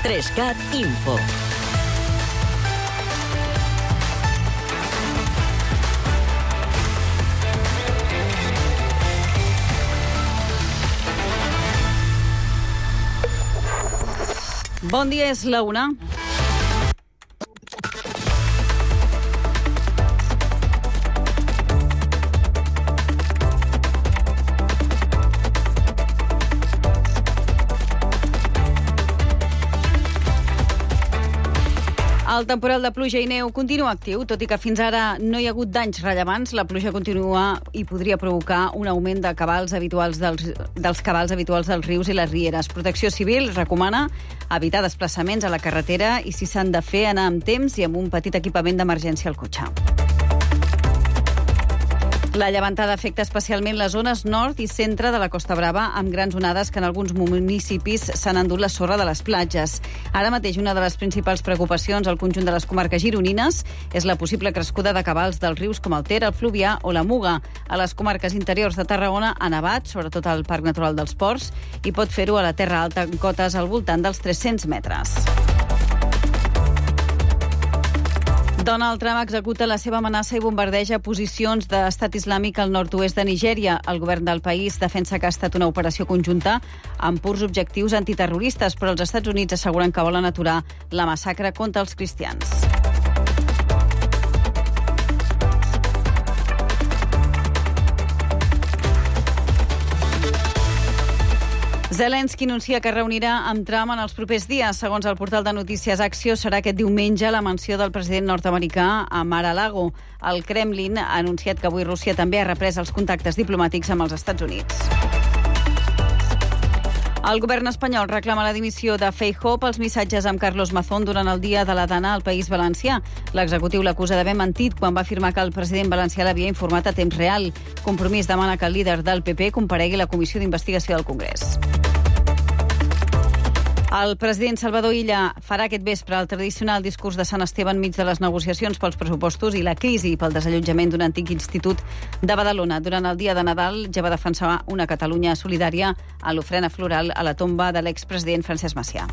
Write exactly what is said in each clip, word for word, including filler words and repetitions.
Trescat Info. Bon dia, és la una. El temporal de pluja i neu continua actiu, tot i que fins ara no hi ha hagut danys rellevants. La pluja continua i podria provocar un augment de cabals habituals dels, dels cabals habituals dels rius i les rieres. Protecció Civil recomana evitar desplaçaments a la carretera i, si s'han de fer, anar amb temps i amb un petit equipament d'emergència al cotxe. La llevantada afecta especialment les zones nord i centre de la Costa Brava, amb grans onades que en alguns municipis s'han endut la sorra de les platges. Ara mateix una de les principals preocupacions al conjunt de les comarques gironines és la possible crescuda de cabals dels rius com el Ter, el Fluvià o la Muga. A les comarques interiors de Tarragona ha nevat, sobretot al Parc Natural dels Ports, i pot fer-ho a la Terra Alta en cotes al voltant dels tres-cents metres. Donald Trump executa la seva amenaça i bombardeja posicions d'estat islàmic al nord-oest de Nigèria. El govern del país defensa que ha estat una operació conjunta amb purs objectius antiterroristes, però els Estats Units asseguren que volen aturar la massacre contra els cristians. Zelensky anuncia que reunirà amb Trump en els propers dies. Segons el portal de notícies Axios, serà aquest diumenge a la mansió del president nord-americà a Mar-a-Lago. El Kremlin ha anunciat que avui Rússia també ha reprès els contactes diplomàtics amb els Estats Units. El govern espanyol reclama la dimissió de Feijóo pels missatges amb Carlos Mazón durant el dia de la Dana al País Valencià. L'executiu l'acusa d'haver mentit quan va afirmar que el president valencià l'havia informat a temps real. Compromís demana que el líder del P P comparegui a la Comissió d'Investigació del Congrés. El president Salvador Illa farà aquest vespre el tradicional discurs de Sant Esteve enmig de les negociacions pels pressupostos i la crisi pel desallotjament d'un antic institut de Badalona. Durant el dia de Nadal ja va defensar una Catalunya solidària a l'ofrena floral a la tomba de l'expresident Francesc Macià.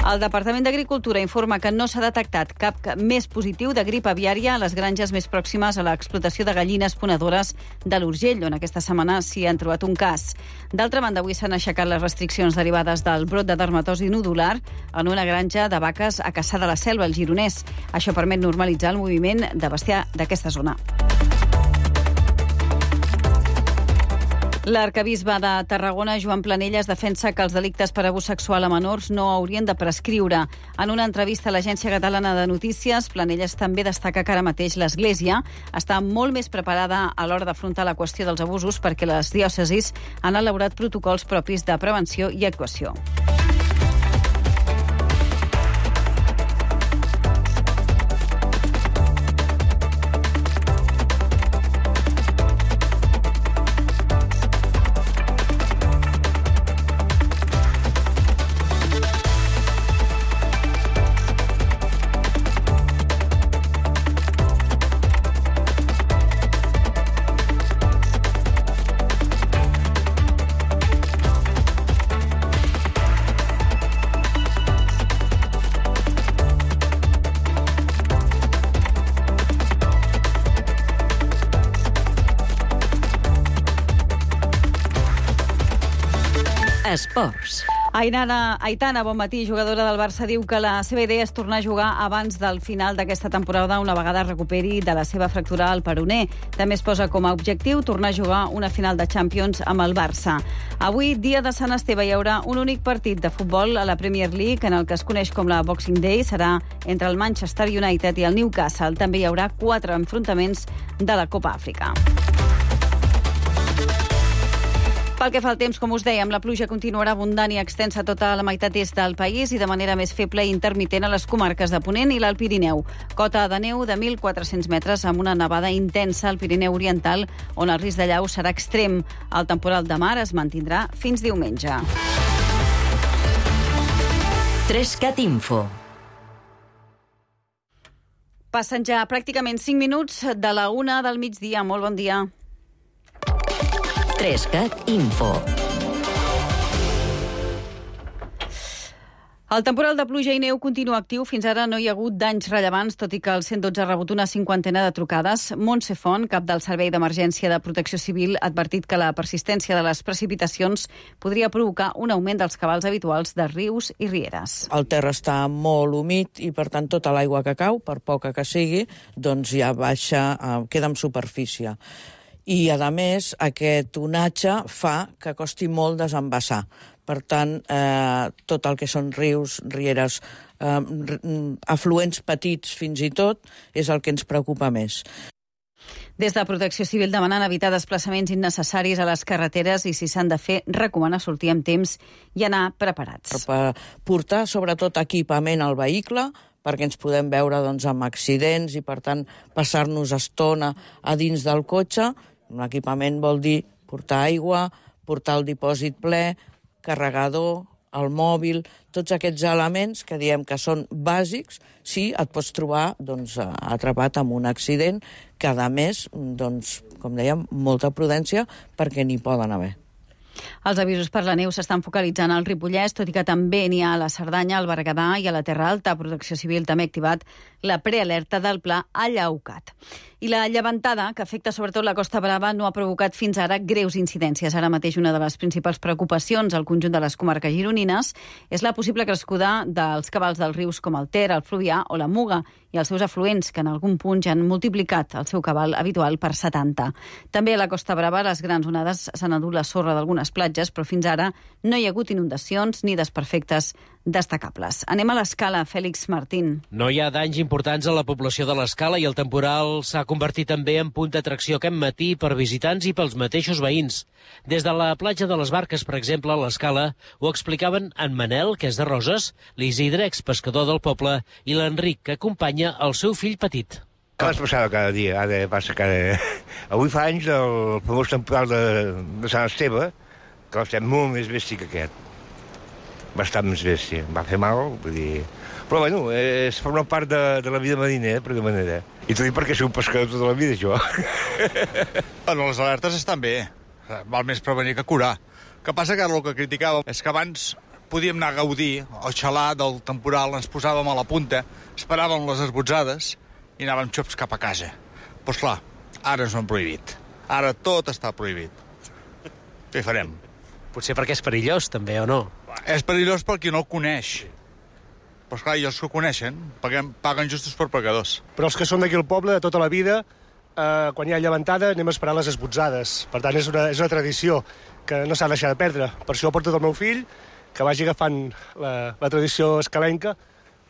El Departament d'Agricultura informa que no s'ha detectat cap més positiu de grip aviària a les granges més pròximes a l'explotació de gallines ponedores de l'Urgell, on aquesta setmana s'hi han trobat un cas. D'altra banda, avui s'han aixecat les restriccions derivades del brot de dermatosi nodular en una granja de vaques a Cassà de la Selva, al Gironès. Això permet normalitzar el moviment de bestiar d'aquesta zona. L'arquebisbe de Tarragona, Joan Planelles, defensa que els delictes per abús sexual a menors no haurien de prescriure. En una entrevista a l'Agència Catalana de Notícies, Planelles també destaca que ara mateix l'Església està molt més preparada a l'hora d'afrontar la qüestió dels abusos perquè les diòcesis han elaborat protocols propis de prevenció i actuació. Esports. Ainara, Aitana, bon matí, jugadora del Barça, diu que la seva idea és tornar a jugar abans del final d'aquesta temporada, una vegada recuperi de la seva fractura al peroné. També es posa com a objectiu tornar a jugar una final de Champions amb el Barça. Avui, dia de Sant Esteve, hi haurà un únic partit de futbol a la Premier League, en el que es coneix com la Boxing Day. Serà entre el Manchester United i el Newcastle. També hi haurà quatre enfrontaments de la Copa Àfrica. Pel que fa al temps, com us dèiem, la pluja continuarà abundant i extensa a tota la meitat est del país i de manera més feble i intermitent a les comarques de Ponent i l'Alt Pirineu. Cota de neu de mil quatre-cents metres amb una nevada intensa al Pirineu Oriental, on el risc de llau serà extrem. El temporal de mar es mantindrà fins diumenge. Trescat Info. Passen ja pràcticament cinc minuts de la una del migdia. Molt bon dia. Trescat Info. El temporal de pluja i neu continua actiu. Fins ara no hi ha hagut danys rellevants, tot i que el cent dotze ha rebut una cinquantena de trucades. Montse Font, cap del Servei d'Emergència de Protecció Civil, ha advertit que la persistència de les precipitacions podria provocar un augment dels cabals habituals de rius i rieres. El terra està molt humit i, per tant, tota l'aigua que cau, per poca que sigui, doncs ja baixa, eh, queda en superfície. I, a més, aquest onatge fa que costi molt desembassar. Per tant, eh, tot el que són rius, rieres, eh, afluents petits fins i tot, és el que ens preocupa més. Des de Protecció Civil demanen evitar desplaçaments innecessaris a les carreteres i, si s'han de fer, recomana sortir amb temps i anar preparats. Per portar, sobretot, equipament al vehicle, perquè ens podem veure doncs, amb accidents i, per tant, passar-nos estona a dins del cotxe. L'equipament vol dir portar aigua, portar el dipòsit ple, carregador, el mòbil, tots aquests elements que diem que són bàsics, si et pots trobar doncs, atrapat amb un accident que, a més, doncs, com dèiem, molta prudència perquè n'hi poden haver. Els avisos per la neu s'estan focalitzant al Ripollès, tot i que també n'hi ha a la Cerdanya, al Berguedà i a la Terra Alta. Protecció Civil també ha activat la prealerta del pla Allaucat. I la llevantada, que afecta sobretot la Costa Brava, no ha provocat fins ara greus incidències. Ara mateix una de les principals preocupacions al conjunt de les comarques gironines és la possible crescuda dels cabals dels rius com el Ter, el Fluvià o la Muga i els seus afluents, que en algun punt ja han multiplicat el seu cabal habitual per setanta. També a la Costa Brava les grans onades s'han endut la sorra d'algunes platges, però fins ara no hi ha hagut inundacions ni desperfectes destacables. Anem a l'Escala, Fèlix Martín. No hi ha danys importants a la població de l'Escala i el temporal s'ha convertit també en punt d'atracció aquest matí per visitants i pels mateixos veïns. Des de la platja de les Barques, per exemple, a l'Escala, ho explicaven en Manel, que és de Roses, l'Isidre, expescador del poble, i l'Enric, que acompanya el seu fill petit. Abans passava cada dia, ara passa cada... Avui fa anys del famós temporal de, de Sant Esteve, que estem molt més bèstia que aquest. Bastant més bèstia. Va fer mal, vull dir... Però, bueno, és forma part de, de la vida marinera, per alguna manera. I t'ho dic perquè soc un pescador tota la vida, jo. Bueno, les alertes estan bé. Val més prevenir que curar. El que passa que ara el que criticàvem és que abans podíem anar a gaudir o xalar del temporal, ens posàvem a la punta, esperàvem les esbotzades i anàvem xops cap a casa. Però, esclar, ara ens ho han prohibit. Ara tot està prohibit. Què farem? Potser perquè és perillós, també, o no? És perillós per qui no el coneix. Però, esclar, i els que ho coneixen paguen, paguen justos per pecadors. Però els que són d'aquí al poble, de tota la vida, eh, quan hi ha llevantada, anem a esperar les esbotzades. Per tant, és una, és una tradició que no s'ha de deixar de perdre. Per això porto tot el meu fill, que vagi agafant la, la tradició escalenca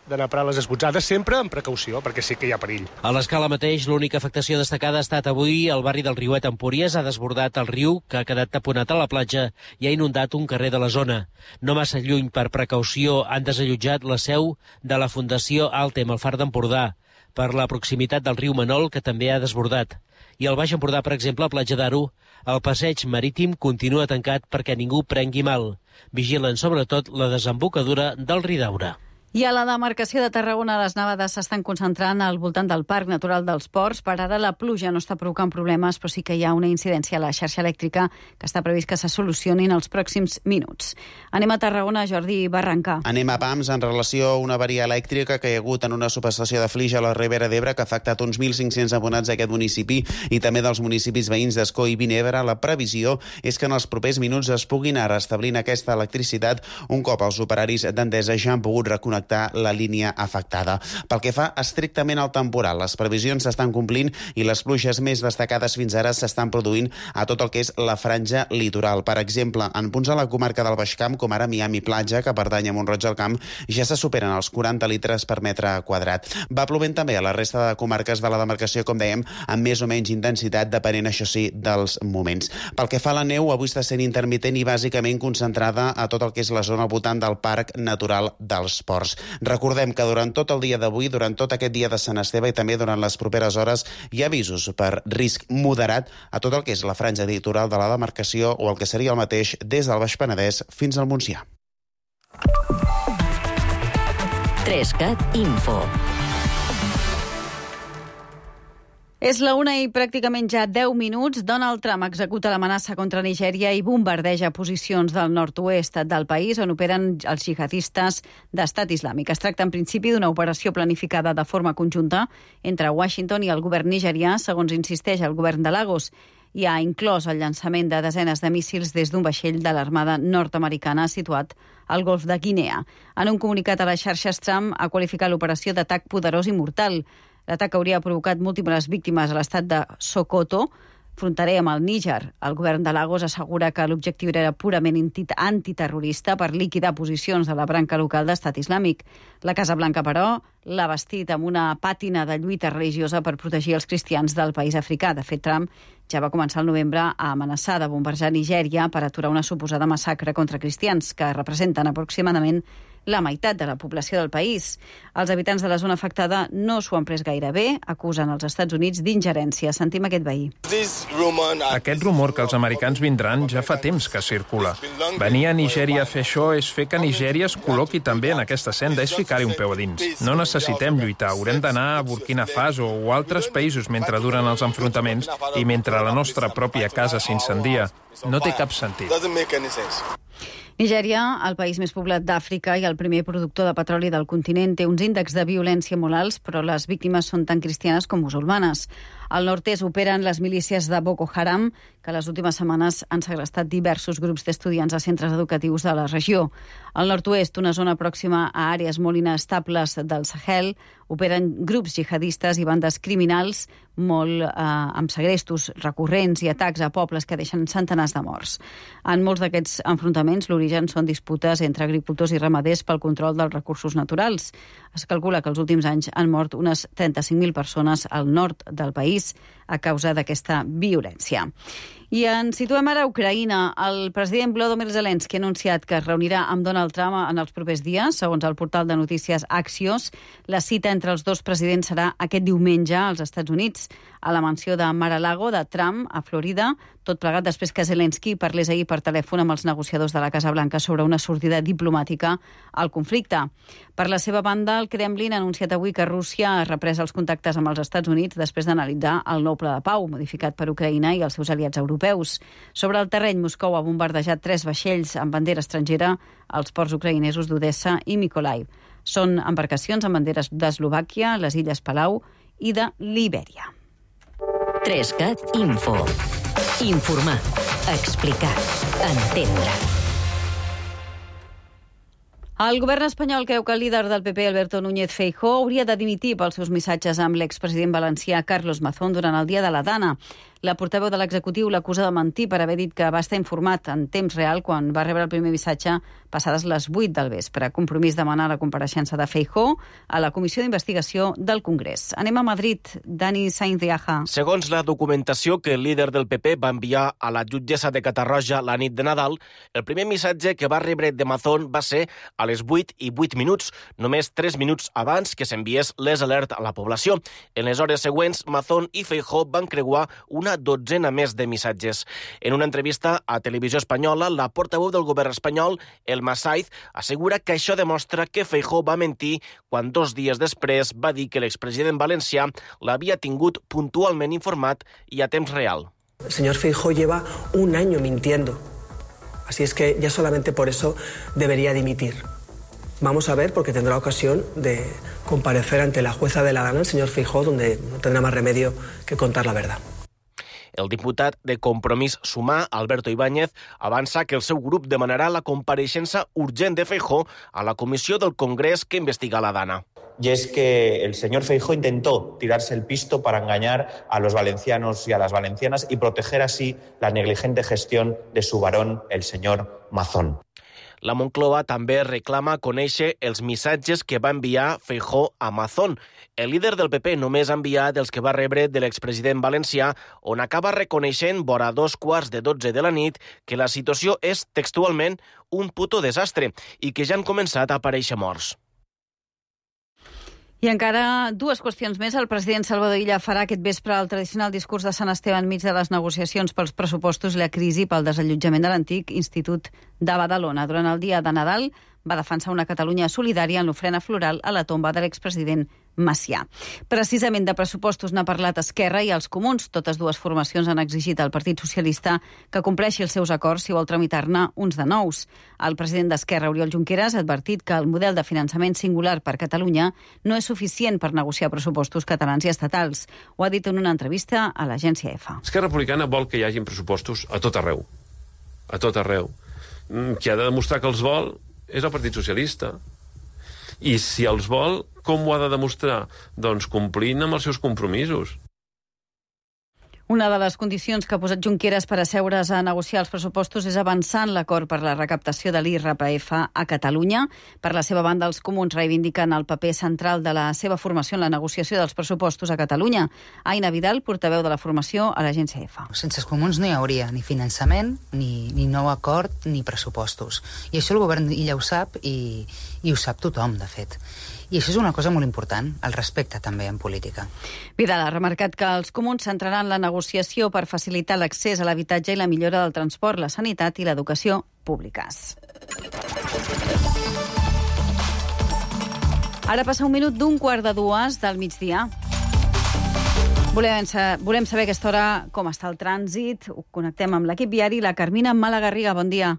d'anar a parar les esbotzades, sempre amb precaució, perquè sí que hi ha perill. A l'Escala mateix, l'única afectació destacada ha estat avui al barri del Riuet Empúries. Ha desbordat el riu, que ha quedat taponat a la platja i ha inundat un carrer de la zona. No massa lluny, per precaució, han desallotjat la seu de la Fundació Altem, al Far d'Empordà, per la proximitat del riu Manol, que també ha desbordat. I al Baix Empordà, per exemple, a Platja d'Aro, el passeig marítim continua tancat perquè ningú prengui mal. Vigilen sobretot la desembocadura del Ridaura. I a la demarcació de Tarragona les nevades s'estan concentrant al voltant del Parc Natural dels Ports. Per ara la pluja no està provocant problemes, però sí que hi ha una incidència a la xarxa elèctrica que està previst que se solucioni en els pròxims minuts. Anem a Tarragona, Jordi Barranca. Anem a Pams en relació a una avaria elèctrica que hi ha hagut en una subestació de Flix a la Ribera d'Ebre que ha afectat uns mil cinc-cents abonats d'aquest municipi i també dels municipis veïns d'Escó i Vinebre. La previsió és que en els propers minuts es puguin anar restablint aquesta electricitat un cop els operaris d'Endesa ja han pogut reconnectar la línia afectada. Pel que fa estrictament al temporal, les previsions s'estan complint i les pluges més destacades fins ara s'estan produint a tot el que és la franja litoral. Per exemple, en punts a la comarca del Baix Camp, com ara Miami Platja, que pertany a Mont-roig del Camp, ja se superen els quaranta litres per metre quadrat. Va plovent també a la resta de comarques de la demarcació, com dèiem, amb més o menys intensitat, depenent, això sí, dels moments. Pel que fa a la neu, avui està sent intermitent i bàsicament concentrada a tot el que és la zona al voltant del Parc Natural dels Ports. Recordem que durant tot el dia d'avui, durant tot aquest dia de Sant Esteve i també durant les properes hores, hi ha avisos per risc moderat a tot el que és la franja litoral de la demarcació o el que seria el mateix des del Baix Penedès fins al Montsià. tres cat Info. És la una i pràcticament ja deu minuts. Donald Trump executa l'amenaça contra Nigèria i bombardeja posicions del nord-oest del país on operen els jihadistes d'Estat Islàmic. Es tracta en principi d'una operació planificada de forma conjunta entre Washington i el govern nigerià, segons insisteix el govern de Lagos, i ha inclòs el llançament de desenes de míssils des d'un vaixell de l'Armada nord-americana situat al Golf de Guinea. En un comunicat a les xarxes, Trump ha qualificat l'operació d'atac poderós i mortal. L'atac hauria provocat múltiples víctimes a l'estat de Sokoto, fronterer amb el Níger. El govern de Lagos assegura que l'objectiu era purament antiterrorista per liquidar posicions de la branca local d'Estat Islàmic. La Casa Blanca, però, l'ha vestit amb una pàtina de lluita religiosa per protegir els cristians del país africà. De fet, Trump ja va començar el novembre a amenaçar de bombardejar Nigèria per aturar una suposada massacre contra cristians, que representen aproximadament la meitat de la població del país. Els habitants de la zona afectada no s'ho han pres gaire bé, acusen els Estats Units d'ingerència. Sentim aquest veí. Aquest rumor que els americans vindran ja fa temps que circula. Venir a Nigèria a fer això és fer que Nigèria es col·loqui també en aquesta senda, és ficar-hi un peu a dins. No necessitem lluitar, haurem d'anar a Burkina Faso o altres països mentre duren els enfrontaments i mentre la nostra pròpia casa s'incendia. No té cap sentit. Nigèria, el país més poblat d'Àfrica i el primer productor de petroli del continent, té uns índexs de violència molt alts, però les víctimes són tant cristianes com musulmanes. Al nord-est operen les milícies de Boko Haram, que les últimes setmanes han segrestat diversos grups d'estudiants a centres educatius de la regió. Al nord-oest, una zona pròxima a àrees molt inestables del Sahel, operen grups jihadistes i bandes criminals molt eh, amb segrestos recurrents i atacs a pobles que deixen centenars de morts. En molts d'aquests enfrontaments, l'origen són disputes entre agricultors i ramaders pel control dels recursos naturals. Es calcula que els últims anys han mort unes trenta-cinc mil persones al nord del país a causa d'aquesta violència. I ens situem ara a Ucraïna. El president Volodymyr Zelensky ha anunciat que es reunirà amb Donald Trump en els propers dies. Segons el portal de notícies Axios, la cita entre els dos presidents serà aquest diumenge als Estats Units, a la mansió de Mar-a-Lago de Trump, a Florida, tot plegat després que Zelensky parlés ahir per telèfon amb els negociadors de la Casa Blanca sobre una sortida diplomàtica al conflicte. Per la seva banda, el Kremlin ha anunciat avui que Rússia ha reprès els contactes amb els Estats Units després d'analitzar el nou pla de pau, modificat per Ucraïna i els seus aliats europeus. Sobre el terreny, Moscou ha bombardejat tres vaixells amb bandera estrangera als ports ucraïnesos d'Odessa i Mykolaiv. Són embarcacions amb banderes d'Eslovàquia, les Illes Palau i de Libèria. tres cat Info. Informar, explicar, entendre. El govern espanyol creu que el líder del P P, Alberto Núñez Feijóo, hauria de dimitir pels seus missatges amb l'expresident valencià Carlos Mazón durant el dia de la Dana. La portaveu de l'executiu l'acusa de mentir per haver dit que va estar informat en temps real quan va rebre el primer missatge passades les vuit del vespre. Compromís demanar la compareixença de Feijóo a la Comissió d'Investigació del Congrés. Anem a Madrid. Dani Sainz de Aja. Segons la documentació que el líder del P P va enviar a la jutgessa de Catarroja la nit de Nadal, el primer missatge que va rebre de Mazón va ser a les vuit i vuit minuts, només tres minuts abans que s'enviés les alert a la població. En les hores següents, Mazón i Feijóo van creuar una dotzena més de missatges. En una entrevista a Televisió Espanyola, la portaveu del govern espanyol, Elma Saiz, assegura que això demostra que Feijóo va mentir quan dos dies després va dir que l'expresident valencià l'havia tingut puntualment informat i a temps real. El señor Feijóo lleva un año mintiendo. Así es que ya solamente por eso debería dimitir. Vamos a ver, porque tendrá ocasión de comparecer ante la jueza de la Dana, el señor Feijóo, donde no tendrá más remedio que contar la verdad. El diputat de Compromís Sumar, Alberto Ibáñez, avança que el seu grup demanarà la compareixença urgent de Feijóo a la comissió del Congrés que investiga la Dana. Y es que el señor Feijóo intentó tirarse el pisto para engañar a los valencianos y a las valencianas y proteger así la negligente gestión de su varón, el señor Mazón. La Moncloa també reclama conèixer els missatges que va enviar Feijóo a Mazón. El líder del P P només ha enviat els que va rebre de l'expresident valencià, on acaba reconeixent vora dos quarts de dotze de la nit que la situació és textualment un puto desastre i que ja han començat a aparèixer morts. I encara dues qüestions més. El president Salvador Illa farà aquest vespre el tradicional discurs de Sant Esteve enmig de les negociacions pels pressupostos i la crisi pel desallotjament de l'antic Institut de Badalona. Durant el dia de Nadal va defensar una Catalunya solidària en l'ofrena floral a la tomba de l'expresident Macià. Precisament de pressupostos n'ha parlat Esquerra i els Comuns. Totes dues formacions han exigit al Partit Socialista que compleixi els seus acords si vol tramitar-ne uns de nous. El president d'Esquerra, Oriol Junqueras, ha advertit que el model de finançament singular per Catalunya no és suficient per negociar pressupostos catalans i estatals. Ho ha dit en una entrevista a l'agència EFA. Esquerra Republicana vol que hi hagin pressupostos a tot arreu. A tot arreu. Qui ha de demostrar que els vol és el Partit Socialista. I si els vol, com ho ha de demostrar? Doncs complint amb els seus compromisos. Una de les condicions que ha posat Junqueras per asseure's a negociar els pressupostos és avançar en l'acord per la recaptació de l'I R P F a Catalunya. Per la seva banda, els Comuns reivindiquen el paper central de la seva formació en la negociació dels pressupostos a Catalunya. Aina Vidal, portaveu de la formació a l'agència EFA. Sense els Comuns no hi hauria ni finançament, ni, ni nou acord, ni pressupostos. I això el govern ja ho sap i, i ho sap tothom, de fet. I això és una cosa molt important, el respecte també en política. Vidal ha remarcat que els Comuns centraran la negociació per facilitar l'accés a l'habitatge i la millora del transport, la sanitat i l'educació públiques. Ara passa un minut d'un quart de dues del migdia. Volem, volem saber a aquesta hora com està el trànsit. Ho connectem amb l'equip viari. La Carmina Malagarriga, bon dia.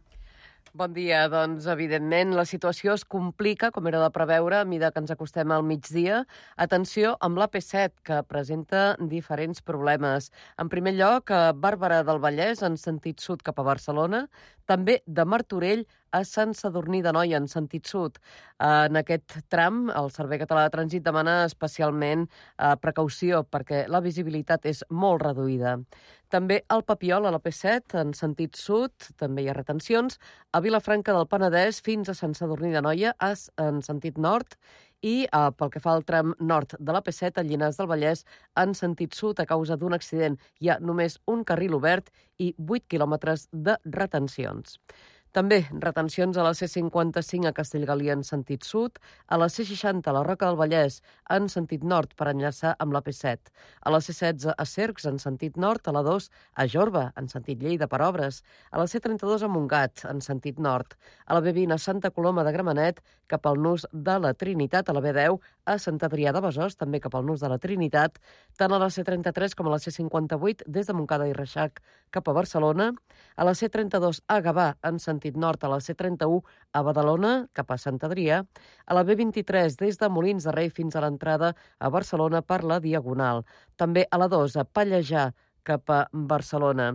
Bon dia. Doncs, evidentment, la situació es complica, com era de preveure, a mesura que ens acostem al migdia. Atenció amb l'A P set, que presenta diferents problemes. En primer lloc, a Barberà del Vallès, en sentit sud cap a Barcelona, també de Martorell a Sant Sadurní d'Anoia, en sentit sud. En aquest tram, el Servei Català de Trànsit demana especialment eh, precaució, perquè la visibilitat és molt reduïda. També al Papiol, a la P set, en sentit sud, també hi ha retencions, a Vilafranca del Penedès fins a Sant Sadurní d'Anoia, en sentit nord, i eh, pel que fa al tram nord de la P set, a Llinars del Vallès, en sentit sud, a causa d'un accident. Hi ha només un carril obert i vuit quilòmetres de retencions. També retencions a la C cinquanta-cinc a Castellgalí en sentit sud, a la C seixanta a la Roca del Vallès en sentit nord per enllaçar amb la P set, a la C setze a Cercs en sentit nord, a la dos a Jorba en sentit Lleida per obres, a la C trenta-dos a Montgat en sentit nord, a la B vint a Santa Coloma de Gramenet cap al nus de la Trinitat, a la B deu a Sant Adrià de Besòs, també cap al nus de la Trinitat, tant a la C trenta-tres com a la C cinquanta-vuit des de Montcada i Reixac cap a Barcelona, a la C trenta-dos a Gavà en sentit nord, a la C trenta-u a Badalona cap a Sant Adrià, a la B vint-i-tres des de Molins de Rei fins a l'entrada a Barcelona per la Diagonal, també a la dos a Pallejà cap a Barcelona.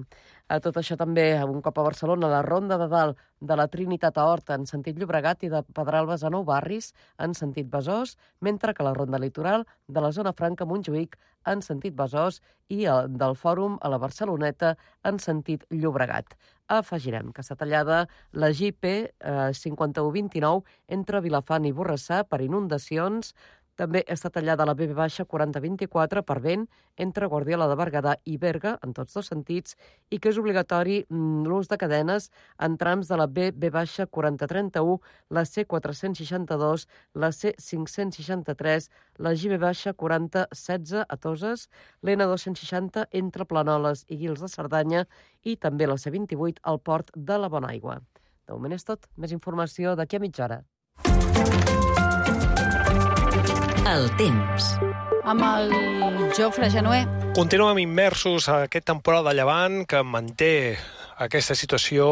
A tot això també, un cop a Barcelona, la Ronda de Dalt de la Trinitat a Horta en sentit Llobregat i de Pedralbes a Nou Barris en sentit Besòs, mentre que la Ronda Litoral de la Zona Franca a Montjuïc en sentit Besòs i del Fòrum a la Barceloneta en sentit Llobregat. Afegirem que està tallada la G P cinquanta-u vint-i-nou entre Vilafant i Borrassà per inundacions. També està tallada la B B quaranta vint-i-quatre per vent entre Guardiola de Berguedà i Berga, en tots dos sentits, i que és obligatori l'ús de cadenes en trams de la B B quaranta trenta-u, la C quatre-cents seixanta-dos, la C cinc-cents seixanta-tres, la G B quaranta setze a Toses, l'N dos-cents seixanta entre Planoles i Guils de Cerdanya i també la C vint-i-vuit al port de la Bonaigua. De moment és tot. Més informació d'aquí a mitja hora. El temps. Amb el Jofre Genuer. Continuem immersos a aquest temporal de llevant que manté aquesta situació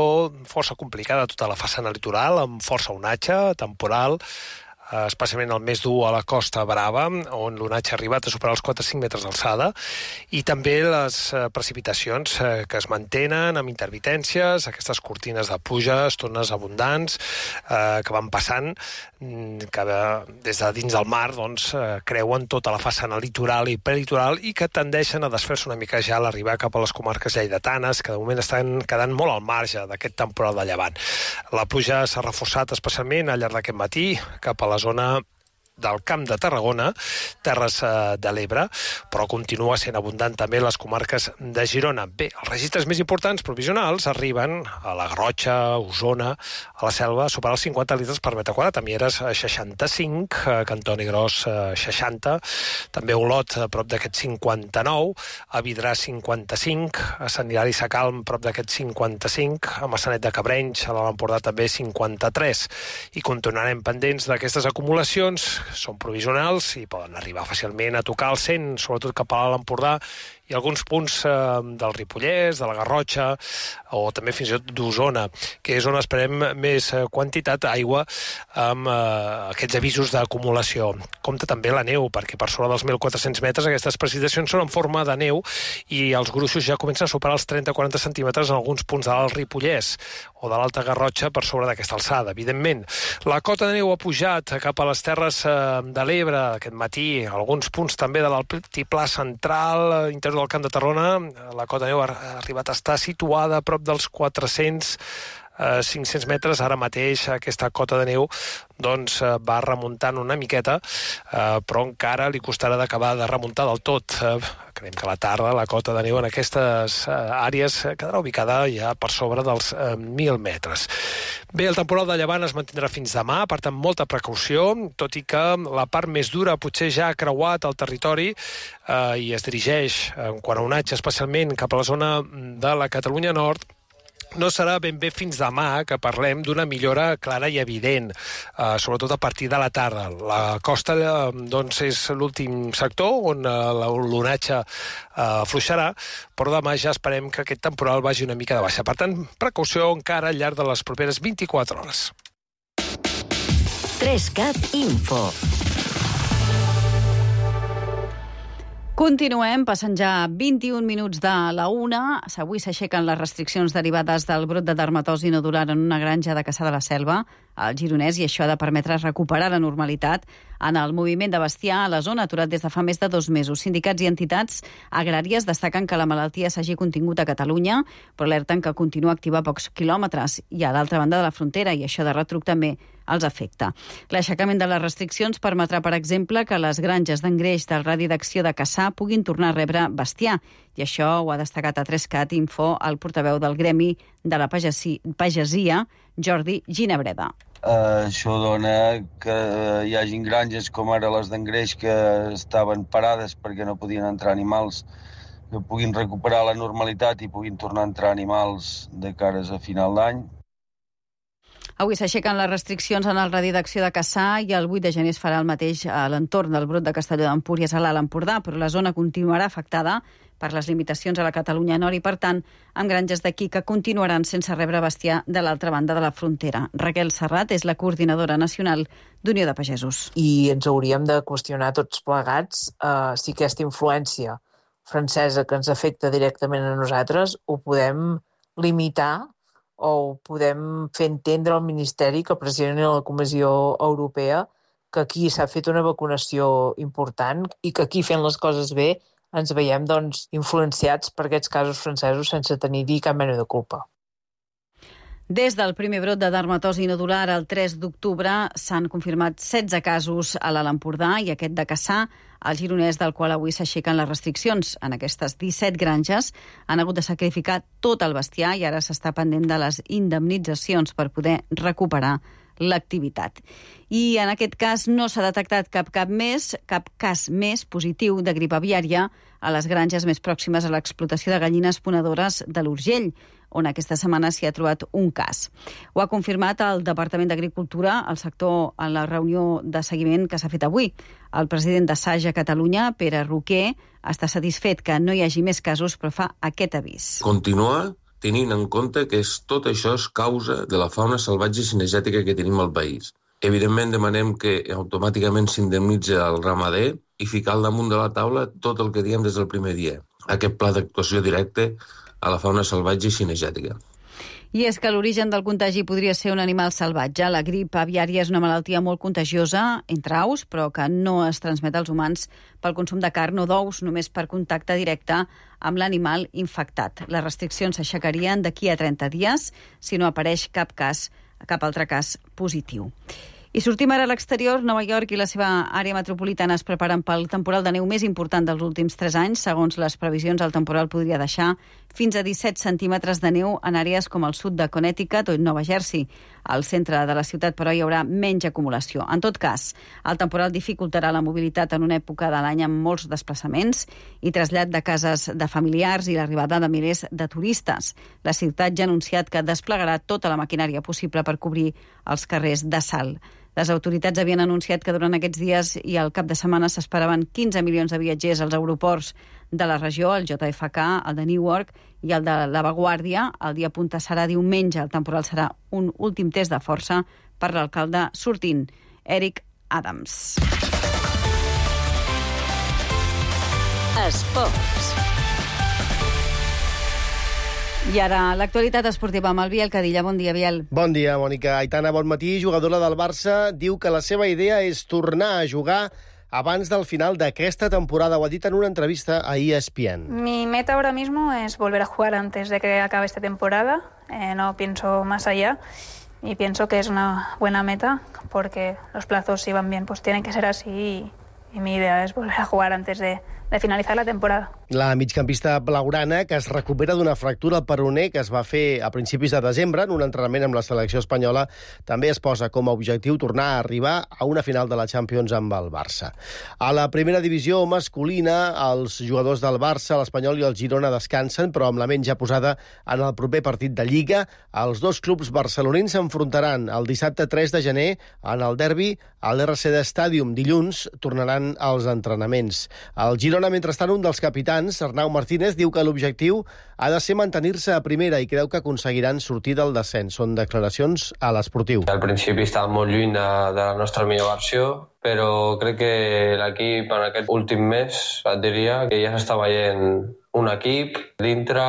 força complicada a tota la façana litoral, amb força onatge temporal, especialment el més dur a la Costa Brava, on l'onatge ha arribat a superar els quatre cents cinc metres d'alçada, i també les precipitacions que es mantenen amb intermitències, aquestes cortines de pluja, estones abundants, eh, que van passant, que des de dins del mar doncs, creuen tota la façana litoral i prelitoral i que tendeixen a desfer-se una mica ja a l'arribar cap a les comarques lleidatanes, que de moment estan quedant molt al marge d'aquest temporal de llevant. La pluja s'ha reforçat especialment al llarg d'aquest matí cap a la zona del Camp de Tarragona, Terres de l'Ebre, però continua sent abundant també les comarques de Girona. Bé, els registres més importants provisionals arriben a la Garrotxa, a Osona, a la Selva, a superar els cinquanta litres per metre quadrat, a Mieres seixanta-cinc, a Cantoni Gros seixanta, també a Olot a prop d'aquest cinquanta-nou, a Vidrà cinquanta-cinc, a Sant Hilari Sacalm prop d'aquest cinquanta-cinc, a Massanet de Cabrenys, a l'Alt Empordà també cinquanta-tres, i continuarem pendents d'aquestes acumulacions són provisionals i poden arribar fàcilment a tocar el cent, sobretot cap a l'Empordà, i alguns punts eh, del Ripollès, de la Garrotxa, o també fins i tot d'Osona, que és on esperem més quantitat d'aigua amb eh, aquests avisos d'acumulació. Compte també la neu, perquè per sobre dels mil quatre-cents metres aquestes precipitacions són en forma de neu i els gruixos ja comencen a superar els trenta a quaranta centímetres en alguns punts de l'Alt Ripollès o de l'Alta Garrotxa per sobre d'aquesta alçada. Evidentment, la cota de neu ha pujat cap a les terres eh, de l'Ebre aquest matí, alguns punts també de l'altiplà central, interior del Camp de Tarragona. La cota de neu ha arribat a estar situada a prop dels quatre-cents a cinc-cents metres. Ara mateix aquesta cota de neu doncs, va remuntant una miqueta, eh, però encara li costarà d'acabar de remuntar del tot. Eh, creiem que a la tarda la cota de neu en aquestes eh, àrees quedarà ubicada ja per sobre dels eh, mil metres. Bé, el temporal de llevant es mantindrà fins demà, per tant, molta precaució, tot i que la part més dura potser ja ha creuat el territori eh, i es dirigeix, en quant a onatge, especialment cap a la zona de la Catalunya Nord. No serà ben bé fins demà que parlem d'una millora clara i evident, eh, sobretot a partir de la tarda. La costa eh, doncs, és l'últim sector on eh, l'onatge eh, afluixarà, però demà ja esperem que aquest temporal vagi una mica de baixa. Per tant, precaució encara al llarg de les properes vint-i-quatre hores. Trescat Info. Continuem, passen ja vint-i-un minuts de la una. Avui s'aixequen les restriccions derivades del brot de dermatosi nodular en una granja de Cassà de la Selva, al Gironès, i això ha de permetre recuperar la normalitat en el moviment de bestiar a la zona, aturat des de fa més de dos mesos. Sindicats i entitats agràries destaquen que la malaltia s'hagi contingut a Catalunya, però alerten que continua activa a pocs quilòmetres i a l'altra banda de la frontera, i això de retruc també els afecta. L'aixecament de les restriccions permetrà, per exemple, que les granges d'engreix del radi d'acció de Cassà puguin tornar a rebre bestiar, i això ho ha destacat a Trescat Info el portaveu del Gremi de la Pagesia, Jordi Ginebreda. Uh, això dona que hi hagin granges com ara les d'engreix que estaven parades perquè no podien entrar animals, que puguin recuperar la normalitat i puguin tornar a entrar animals de cares a final d'any. Avui s'aixequen les restriccions en el radi d'acció de Cassà i el vuit de gener es farà el mateix a l'entorn del brot de Castelló d'Empúries a l'Alt Empordà, però la zona continuarà afectada per les limitacions a la Catalunya Nord i, per tant, amb granges d'aquí que continuaran sense rebre bestiar de l'altra banda de la frontera. Raquel Serrat és la coordinadora nacional d'Unió de Pagesos. I ens hauríem de qüestionar tots plegats eh, si aquesta influència francesa que ens afecta directament a nosaltres ho podem limitar o ho podem fer entendre al Ministeri que precisament a la Comissió Europea que aquí s'ha fet una vacunació important i que aquí fent les coses bé ens veiem doncs, influenciats per aquests casos francesos sense tenir-hi cap mena de culpa. Des del primer brot de dermatosi nodular el tres d'octubre s'han confirmat setze casos a l'Alt Empordà i aquest de Cassà, al Gironès, del qual avui s'aixequen les restriccions. En aquestes disset granges han hagut de sacrificar tot el bestiar i ara s'està pendent de les indemnitzacions per poder recuperar l'activitat. I en aquest cas no s'ha detectat cap cap més, cap cas més positiu de grip aviària a les granges més pròximes a l'explotació de gallines ponedores de l'Urgell, on aquesta setmana s'hi ha trobat un cas. Ho ha confirmat el Departament d'Agricultura, el sector, en la reunió de seguiment que s'ha fet avui. El president de S A G a Catalunya, Pere Roquer, està satisfet que no hi hagi més casos, però fa aquest avís. Continua tenint en compte que és, tot això és causa de la fauna salvatge cinegètica que tenim al país. Evidentment demanem que automàticament s'indemnitzi el ramader i ficar al damunt de la taula tot el que diem des del primer dia. Aquest pla d'actuació directe a la fauna salvatge i cinegètica. I és que l'origen del contagi podria ser un animal salvatge. La grip aviària és una malaltia molt contagiosa entre aus, però que no es transmet als humans pel consum de carn o d'ous, només per contacte directe amb l'animal infectat. Les restriccions s'aixecarien d'aquí a trenta dies si no apareix cap cas, cap altre cas positiu. I sortim ara a l'exterior. Nova York i la seva àrea metropolitana es preparen pel temporal de neu més important dels últims tres anys. Segons les previsions, el temporal podria deixar fins a disset centímetres de neu en àrees com el sud de Connecticut o Nova Jersey. Al centre de la ciutat, però, hi haurà menys acumulació. En tot cas, el temporal dificultarà la mobilitat en una època de l'any amb molts desplaçaments i trasllat de cases de familiars i l'arribada de milers de turistes. La ciutat ja ha anunciat que desplegarà tota la maquinària possible per cobrir els carrers de salt. Les autoritats havien anunciat que durant aquests dies i al cap de setmana s'esperaven quinze milions de viatgers als aeroports de la regió, el J F K, el de Newark i el de La Vanguardia. El dia punta serà diumenge. El temporal serà un últim test de força per l'alcalde sortint, Eric Adams. Esports. I ara, l'actualitat esportiva amb el Biel Cadilla. Bon dia, Biel. Bon dia, Mònica. Aitana, bon matí. Jugadora del Barça, diu que la seva idea és tornar a jugar abans del final d'aquesta temporada. Ho ha dit en una entrevista a E S P N. Mi meta ahora mismo es volver a jugar antes de que acabe esta temporada. Eh, no pienso más allá y pienso que es una buena meta porque los plazos, si van bien, pues tienen que ser así y, y mi idea es volver a jugar antes de... de finalitzar la temporada. La migcampista blaugrana, que es recupera d'una fractura al peroné que es va fer a principis de desembre en un entrenament amb la selecció espanyola, també es posa com a objectiu tornar a arribar a una final de la Champions amb el Barça. A la primera divisió masculina, els jugadors del Barça, l'Espanyol i el Girona descansen, però amb la ment ja posada en el proper partit de Lliga. Els dos clubs barcelonins s'enfrontaran el dissabte tres de gener en el derbi a l'R C D Stadium. Dilluns tornaran als entrenaments. El Girona, mentrestant, un dels capitans, Arnau Martínez, diu que l'objectiu ha de ser mantenir-se a primera i creu que aconseguiran sortir del descens. Són declaracions a l'Esportiu. Al principi estàvem molt lluny de, de la nostra millor versió, però crec que l'equip en aquest últim mes et diria que ja s'està veient un equip dintre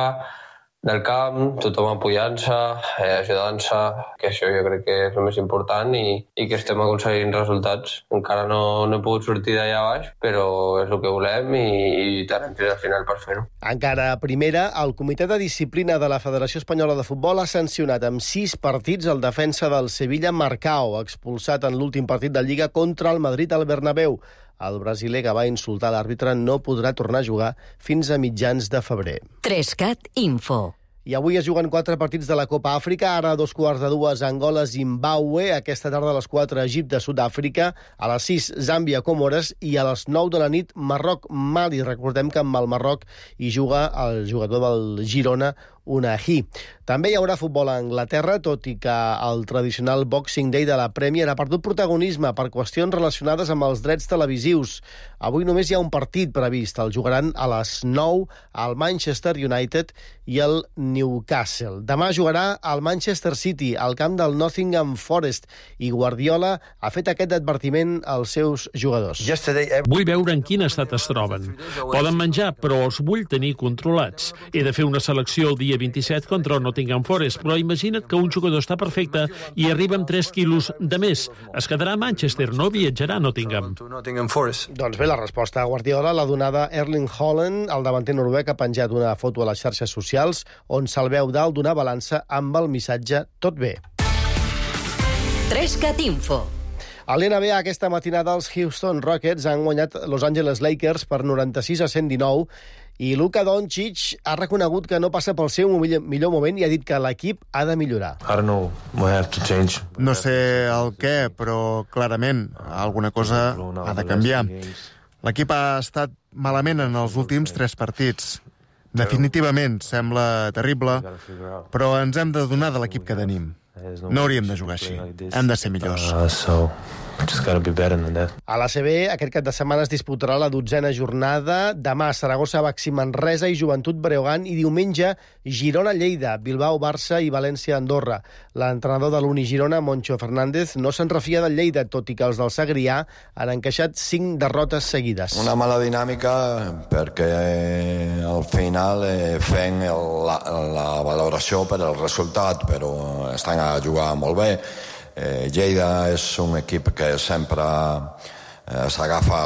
del camp, tothom apoyant-se, eh, ajudant-se, que això jo crec que és el més important i, i que estem aconseguint resultats. Encara no, no he pogut sortir d'allà baix, però és el que volem i, i tant hem al final per fer-ho. Encara a primera, el Comitè de Disciplina de la Federació Espanyola de Futbol ha sancionat amb sis partits el defensa del Sevilla Marcao, expulsat en l'últim partit de Lliga contra el Madrid al Bernabéu. El brasiler, que va insultar l'àrbitre, no podrà tornar a jugar fins a mitjans de febrer. Trescat Info. I avui es juguen quatre partits de la Copa Àfrica. Ara a dos quarts de dues, Angola, Zimbàbue. Aquesta tarda a les quatre, Egipte, Sud-àfrica. A les sis, Zàmbia, Comores. I a les nou de la nit, Marroc, Mali. Recordem que amb el Marroc hi juga el jugador del Girona, Unahi. També hi haurà futbol a Anglaterra, tot i que el tradicional Boxing Day de la Premier ha perdut protagonisme per qüestions relacionades amb els drets televisius. Avui només hi ha un partit previst. El jugaran a les nou el Manchester United i el Newcastle. Demà jugarà el Manchester City al camp del Nottingham Forest i Guardiola ha fet aquest advertiment als seus jugadors. Vull veure en quin estat es troben. Poden menjar, però els vull tenir controlats. He de fer una selecció el dia vint-i-set contra el Nottingham Forest, però imagina't que un jugador està perfecte i arriba amb tres quilos de més. Es quedarà a Manchester, no viatjarà a Nottingham. Doncs bé, la resposta a Guardiola l'ha donada Erling Haaland. El davanter noruec ha penjat una foto a les xarxes socials on se'l veu dalt d'una balança amb el missatge "Tot bé". Trescat Info. A l'N B A aquesta matinada els Houston Rockets han guanyat Los Angeles Lakers per noranta-sis a cent dinou i Luka Doncic ha reconegut que no passa pel seu millor moment i ha dit que l'equip ha de millorar. No sé el què, però clarament alguna cosa ha de canviar. L'equip ha estat malament en els últims tres partits. Definitivament sembla terrible, però ens hem de donar de l'equip que tenim. No hauríem de jugar així. Hem de ser millors. A l'A C B, aquest cap de setmana es disputarà la dotzena jornada. Demà, Saragossa, Baxi Manresa i Joventut Breogán. I diumenge, Girona-Lleida, Bilbao-Barça i València-Andorra. L'entrenador de l'Uni Girona, Moncho Fernández, no se'n refia del Lleida, tot i que els del Segrià han encaixat cinc derrotes seguides. Una mala dinàmica perquè eh, al final eh, fem el, la, la valoració per el resultat, però estan a jugar molt bé. Eh, Lleida és un equip que sempre eh, s'agafa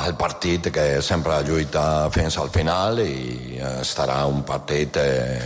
al partit, que sempre lluita fins al final i estarà un partit eh,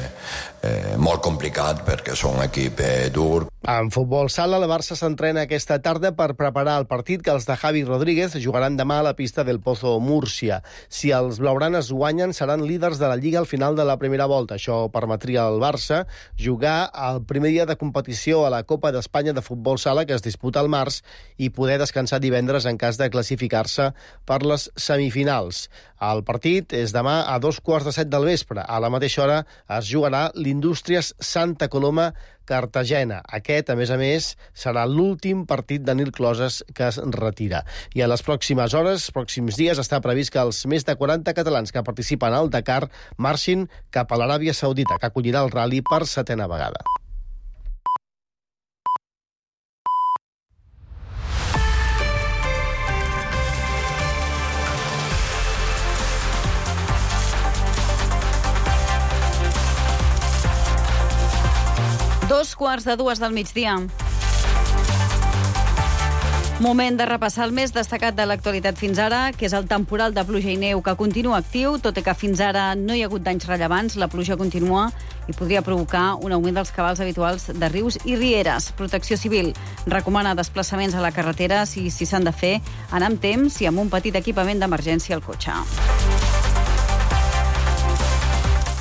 eh, molt complicat perquè és un equip eh, dur. En futbol sala, el Barça s'entrena aquesta tarda per preparar el partit que els de Javi Rodríguez jugaran demà a la pista del Pozo Múrcia. Si els blaugranes guanyen, seran líders de la Lliga al final de la primera volta. Això permetria al Barça jugar el primer dia de competició a la Copa d'Espanya de futbol sala, que es disputa al març, i poder descansar divendres en cas de classificar-se per les semifinals. El partit és demà a dos quarts de set del vespre. A la mateixa hora es jugarà l'Inter Indústries Santa Coloma Cartagena. Aquest, a més a més, serà l'últim partit de Nil Closes que es retira. I en les pròximes hores, pròxims dies, està previst que els més de quaranta catalans que participen al Dakar marxin cap a l'Aràbia Saudita, que acollirà el ral·li per setena vegada. Dos quarts de dues del migdia. Moment de repassar el més destacat de l'actualitat fins ara, que és el temporal de pluja i neu que continua actiu, tot i que fins ara no hi ha hagut danys rellevants. La pluja continua i podria provocar un augment dels cabals habituals de rius i rieres. Protecció Civil recomana desplaçaments a la carretera si si s'han de fer, anar amb temps i amb un petit equipament d'emergència al cotxe.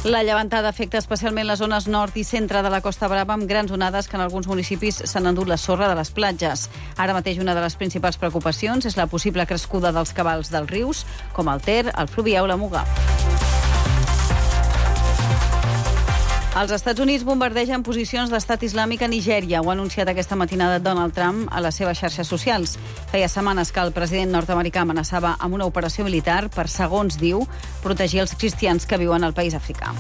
La llevantada afecta especialment les zones nord i centre de la Costa Brava, amb grans onades que en alguns municipis s'han endut la sorra de les platges. Ara mateix una de les principals preocupacions és la possible crescuda dels cabals dels rius, com el Ter, el Fluvià o la Muga. Els Estats Units bombardegen posicions d'estat islàmic a Nigèria. Ho ha anunciat aquesta matinada Donald Trump a les seves xarxes socials. Feia setmanes que el president nord-americà amenaçava amb una operació militar per, segons diu, protegir els cristians que viuen al país africà.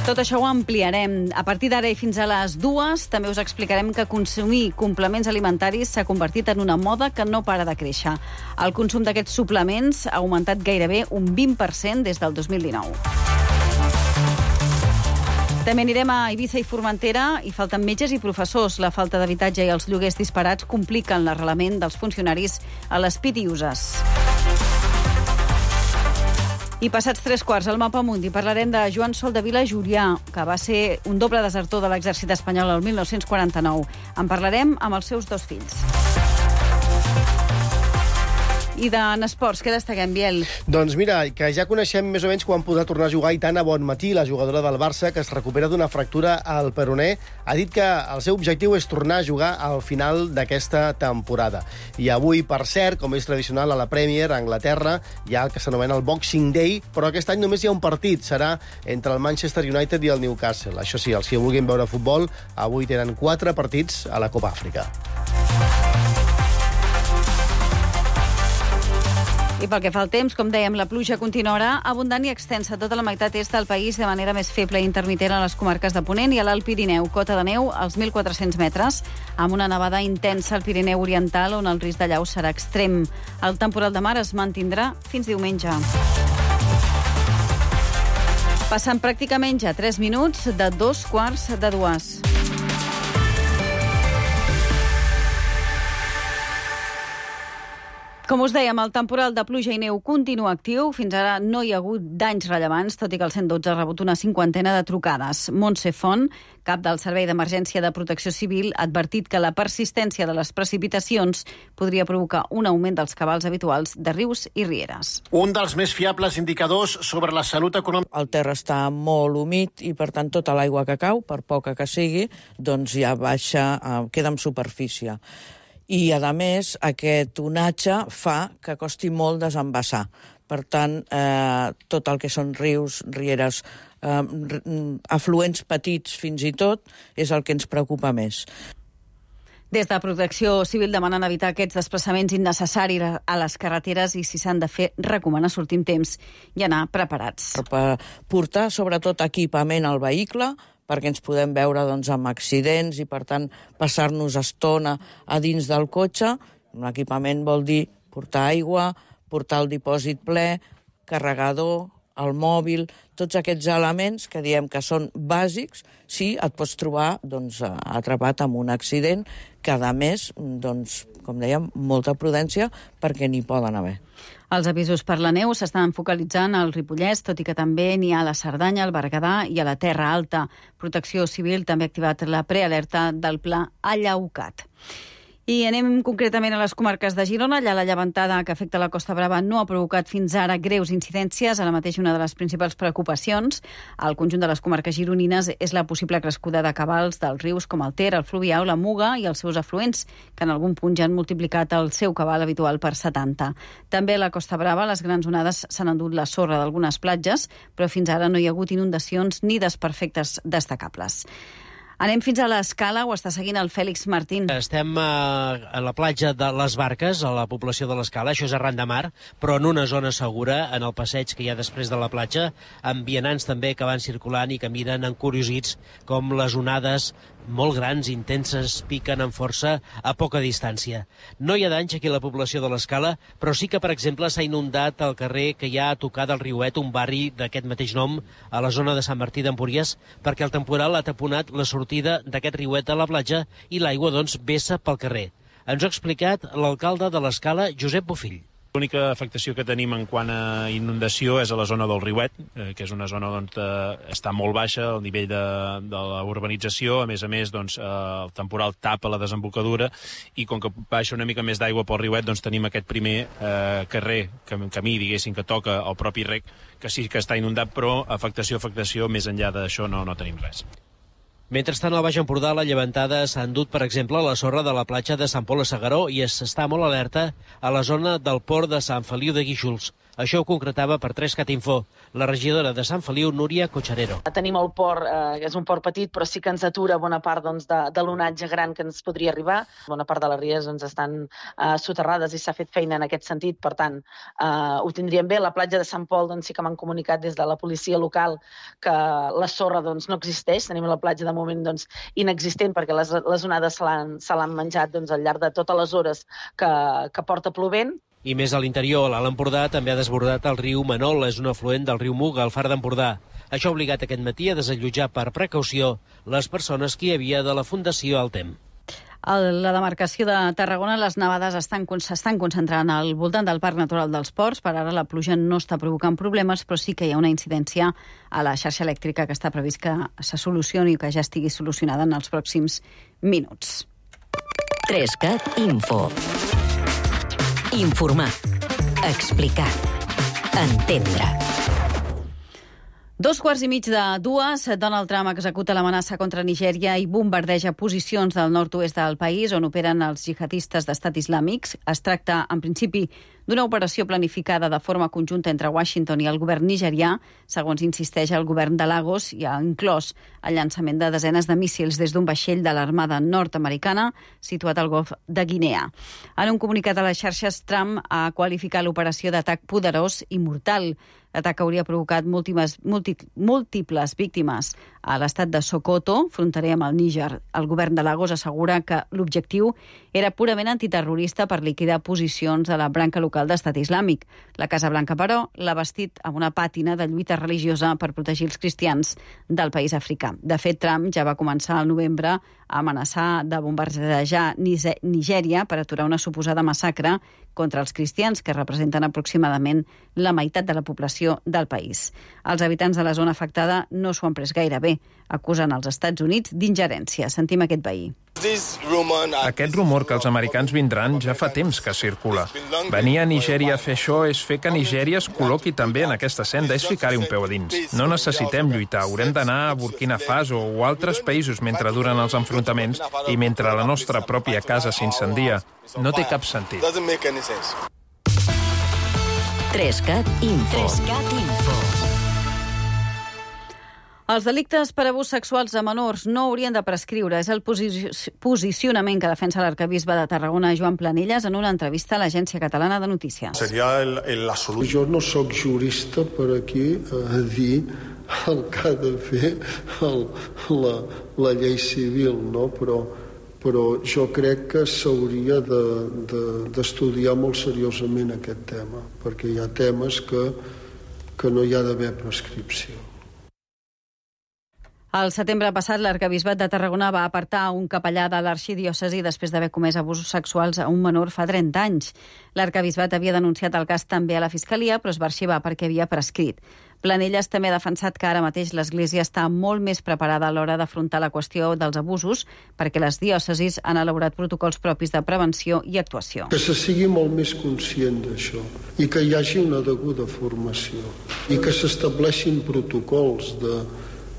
Tot això ho ampliarem. A partir d'ara i fins a les dues també us explicarem que consumir complements alimentaris s'ha convertit en una moda que no para de créixer. El consum d'aquests suplements ha augmentat gairebé un vint per cent des del dos mil dinou. També anirem a Eivissa i Formentera i falten metges i professors. La falta d'habitatge i els lloguers disparats compliquen l'arrelament dels funcionaris a les pitiuses. I passats tres quarts al Mapa Mundi parlarem de Joan Soldevila Jurià, que va ser un doble desertor de l'exèrcit espanyol el mil nou-cents quaranta-nou. En parlarem amb els seus dos fills. I d'en esports, què destaquem, Biel? Doncs mira, que ja coneixem més o menys quan podrà tornar a jugar Aitana Bonmatí, la jugadora del Barça, que es recupera d'una fractura al peroné. Ha dit que el seu objectiu és tornar a jugar al final d'aquesta temporada. I avui, per cert, com és tradicional a la Premier, a Anglaterra, hi ha el que s'anomena el Boxing Day, però aquest any només hi ha un partit. Serà entre el Manchester United i el Newcastle. Això sí, els que vulguin veure futbol, avui tenen quatre partits a la Copa Àfrica. I pel que fa al temps, com dèiem, la pluja continuarà abundant i extensa a tota la meitat est del país, de manera més feble i intermitent a les comarques de Ponent i a l'Alt Pirineu. Cota de neu als mil quatre-cents metres, amb una nevada intensa al Pirineu Oriental, on el risc de llau serà extrem. El temporal de mar es mantindrà fins diumenge. Passen pràcticament ja tres minuts de dos quarts de dues. Com us dèiem, el temporal de pluja i neu continua actiu. Fins ara no hi ha hagut danys rellevants, tot i que el cent dotze ha rebut una cinquantena de trucades. Montse Font, cap del Servei d'Emergència de Protecció Civil, ha advertit que la persistència de les precipitacions podria provocar un augment dels cabals habituals de rius i rieres. Un dels més fiables indicadors sobre la salut econòmica. El terra està molt humit i, per tant, tota l'aigua que cau, per poca que sigui, doncs ja baixa, queda en superfície. I, a més, aquest onatge fa que costi molt desembassar. Per tant, eh, tot el que són rius, rieres, eh, afluents petits fins i tot, és el que ens preocupa més. Des de Protecció Civil demanen evitar aquests desplaçaments innecessaris a les carreteres i, si s'han de fer, recomana sortir amb temps i anar preparats. Per portar, sobretot, equipament al vehicle, perquè ens podem veure doncs, amb accidents i, per tant, passar-nos estona a dins del cotxe. L'equipament vol dir portar aigua, portar el dipòsit ple, carregador, el mòbil, tots aquests elements que diem que són bàsics si et pots trobar doncs, atrapat amb un accident que, a més, doncs, com dèiem, molta prudència perquè n'hi poden haver. Els avisos per la neu s'estan focalitzant al Ripollès, tot i que també n'hi ha a la Cerdanya, al Berguedà i a la Terra Alta. Protecció Civil també ha activat la prealerta del pla Allaucat. I anem concretament a les comarques de Girona. Allà la llevantada que afecta la Costa Brava no ha provocat fins ara greus incidències. Ara mateix una de les principals preocupacions al conjunt de les comarques gironines és la possible crescuda de cabals dels rius com el Ter, el Fluvià o la Muga i els seus afluents, que en algun punt ja han multiplicat el seu cabal habitual per setanta. També a la Costa Brava les grans onades s'han endut la sorra d'algunes platges, però fins ara no hi ha hagut inundacions ni desperfectes destacables. Anem fins a l'Escala, ho està seguint el Fèlix Martín. Estem a, a la platja de les Barques, a la població de l'Escala, això és arran de mar, però en una zona segura, en el passeig que hi ha després de la platja, amb vianants també que van circulant i que miren encuriosits com les onades molt grans, intenses, piquen amb força a poca distància. No hi ha danys aquí a la població de l'Escala, però sí que, per exemple, s'ha inundat el carrer que hi ha a tocar del Riuet, un barri d'aquest mateix nom, a la zona de Sant Martí d'Empúries, perquè el temporal ha taponat la sortida d'aquest riuet a la platja i l'aigua, doncs, vessa pel carrer. Ens ho ha explicat l'alcalde de l'Escala, Josep Bofill. L'única afectació que tenim en quant a inundació és a la zona del Riuet, eh, que és una zona on eh, està molt baixa el nivell de, de la urbanització. A més a més, doncs, eh, el temporal tapa la desembocadura i com que baixa una mica més d'aigua pel Riuet, doncs tenim aquest primer eh, carrer, camí, diguéssim, que toca el propi rec, que sí que està inundat, però afectació, afectació, més enllà d'això no, no tenim res. Mentrestant, al Baix Empordà, la llevantada s'ha endut, per exemple, a la sorra de la platja de Sant Pol a Segaró i s'està molt alerta a la zona del port de Sant Feliu de Guíxols. Això ho concretava per tres cat info la regidora de Sant Feliu, Núria Cocharero. Tenim el port, eh, que és un port petit, però sí que ens atura bona part doncs, de, de l'onatge gran que ens podria arribar. Bona part de les ries doncs, estan eh, soterrades i s'ha fet feina en aquest sentit, per tant, eh, ho tindríem bé. La platja de Sant Pol doncs, sí que m'han comunicat des de la policia local que la sorra doncs, no existeix. Tenim la platja de moment doncs, inexistent perquè les, les onades se l'han, se l'han menjat doncs, al llarg de totes les hores que, que porta plovent. I més a l'interior, l'Alt Empordà també ha desbordat el riu Manol, és un afluent del riu Muga, al Far d'Empordà. Això ha obligat aquest matí a desallotjar per precaució les persones que hi havia de la Fundació Altem. A la demarcació de Tarragona, les nevades estan, s'estan concentrant al voltant del Parc Natural dels Ports. Per ara la pluja no està provocant problemes, però sí que hi ha una incidència a la xarxa elèctrica que està previst que se solucioni o que ja estigui solucionada en els pròxims minuts. tres cat Info. Informar. Explicar. Entendre. Dos quarts i mig de dues, Donald Trump executa l'amenaça contra Nigèria i bombardeja posicions del nord-oest del país on operen els jihadistes d'Estat Islàmic. Es tracta, en principi, d'una operació planificada de forma conjunta entre Washington i el govern nigerià, segons insisteix el govern de Lagos, i ha inclòs el llançament de desenes de míssils des d'un vaixell de l'Armada nord-americana situat al golf de Guinea. En un comunicat a les xarxes, Trump ha qualificat l'operació d'atac poderós i mortal. L'atac hauria provocat múltiples, múltiples víctimes a l'estat de Sokoto, fronterer amb el Níger. El govern de Lagos assegura que l'objectiu era purament antiterrorista per liquidar posicions de la branca local d'Estat Islàmic. La Casa Blanca, però, l'ha vestit amb una pàtina de lluita religiosa per protegir els cristians del país africà. De fet, Trump ja va començar al novembre a amenaçar de bombardejar Nigèria per aturar una suposada massacre contra els cristians, que representen aproximadament la meitat de la població del país. Els habitants de la zona afectada no s'ho han pres gaire bé, acusen els Estats Units d'ingerència. Sentim aquest veí. Aquest rumor que els americans vindran ja fa temps que circula. Venir a Nigèria a fer això és fer que Nigèria es col·loqui també en aquesta senda, és ficar-hi un peu a dins. No necessitem lluitar, haurem d'anar a Burkina Faso o altres països mentre duren els enfrontaments i mentre la nostra pròpia casa s'incendia. No té cap sentit. tres cat Info. Els delictes per abús sexuals a menors no haurien de prescriure. És el posi- posicionament que defensa l'arquebisbe de Tarragona, Joan Planelles, en una entrevista a l'Agència Catalana de Notícies. Seria el, el, la solució. Jo no sóc jurista per aquí a dir el que ha de fer el, la, la llei civil, no? Però, però jo crec que s'hauria d'estudiar de, de, molt seriosament aquest tema, perquè hi ha temes que, que no hi ha d'haver prescripció. El setembre passat, l'arquebisbat de Tarragona va apartar un capellà de l'arxidiòcesi després d'haver comès abusos sexuals a un menor fa trenta anys. L'arquebisbat havia denunciat el cas també a la Fiscalia, però es va arxivar perquè havia prescrit. Planelles també ha defensat que ara mateix l'Església està molt més preparada a l'hora d'afrontar la qüestió dels abusos perquè les diòcesis han elaborat protocols propis de prevenció i actuació. Que se sigui molt més conscient d'això i que hi hagi una deguda formació i que s'estableixin protocols de,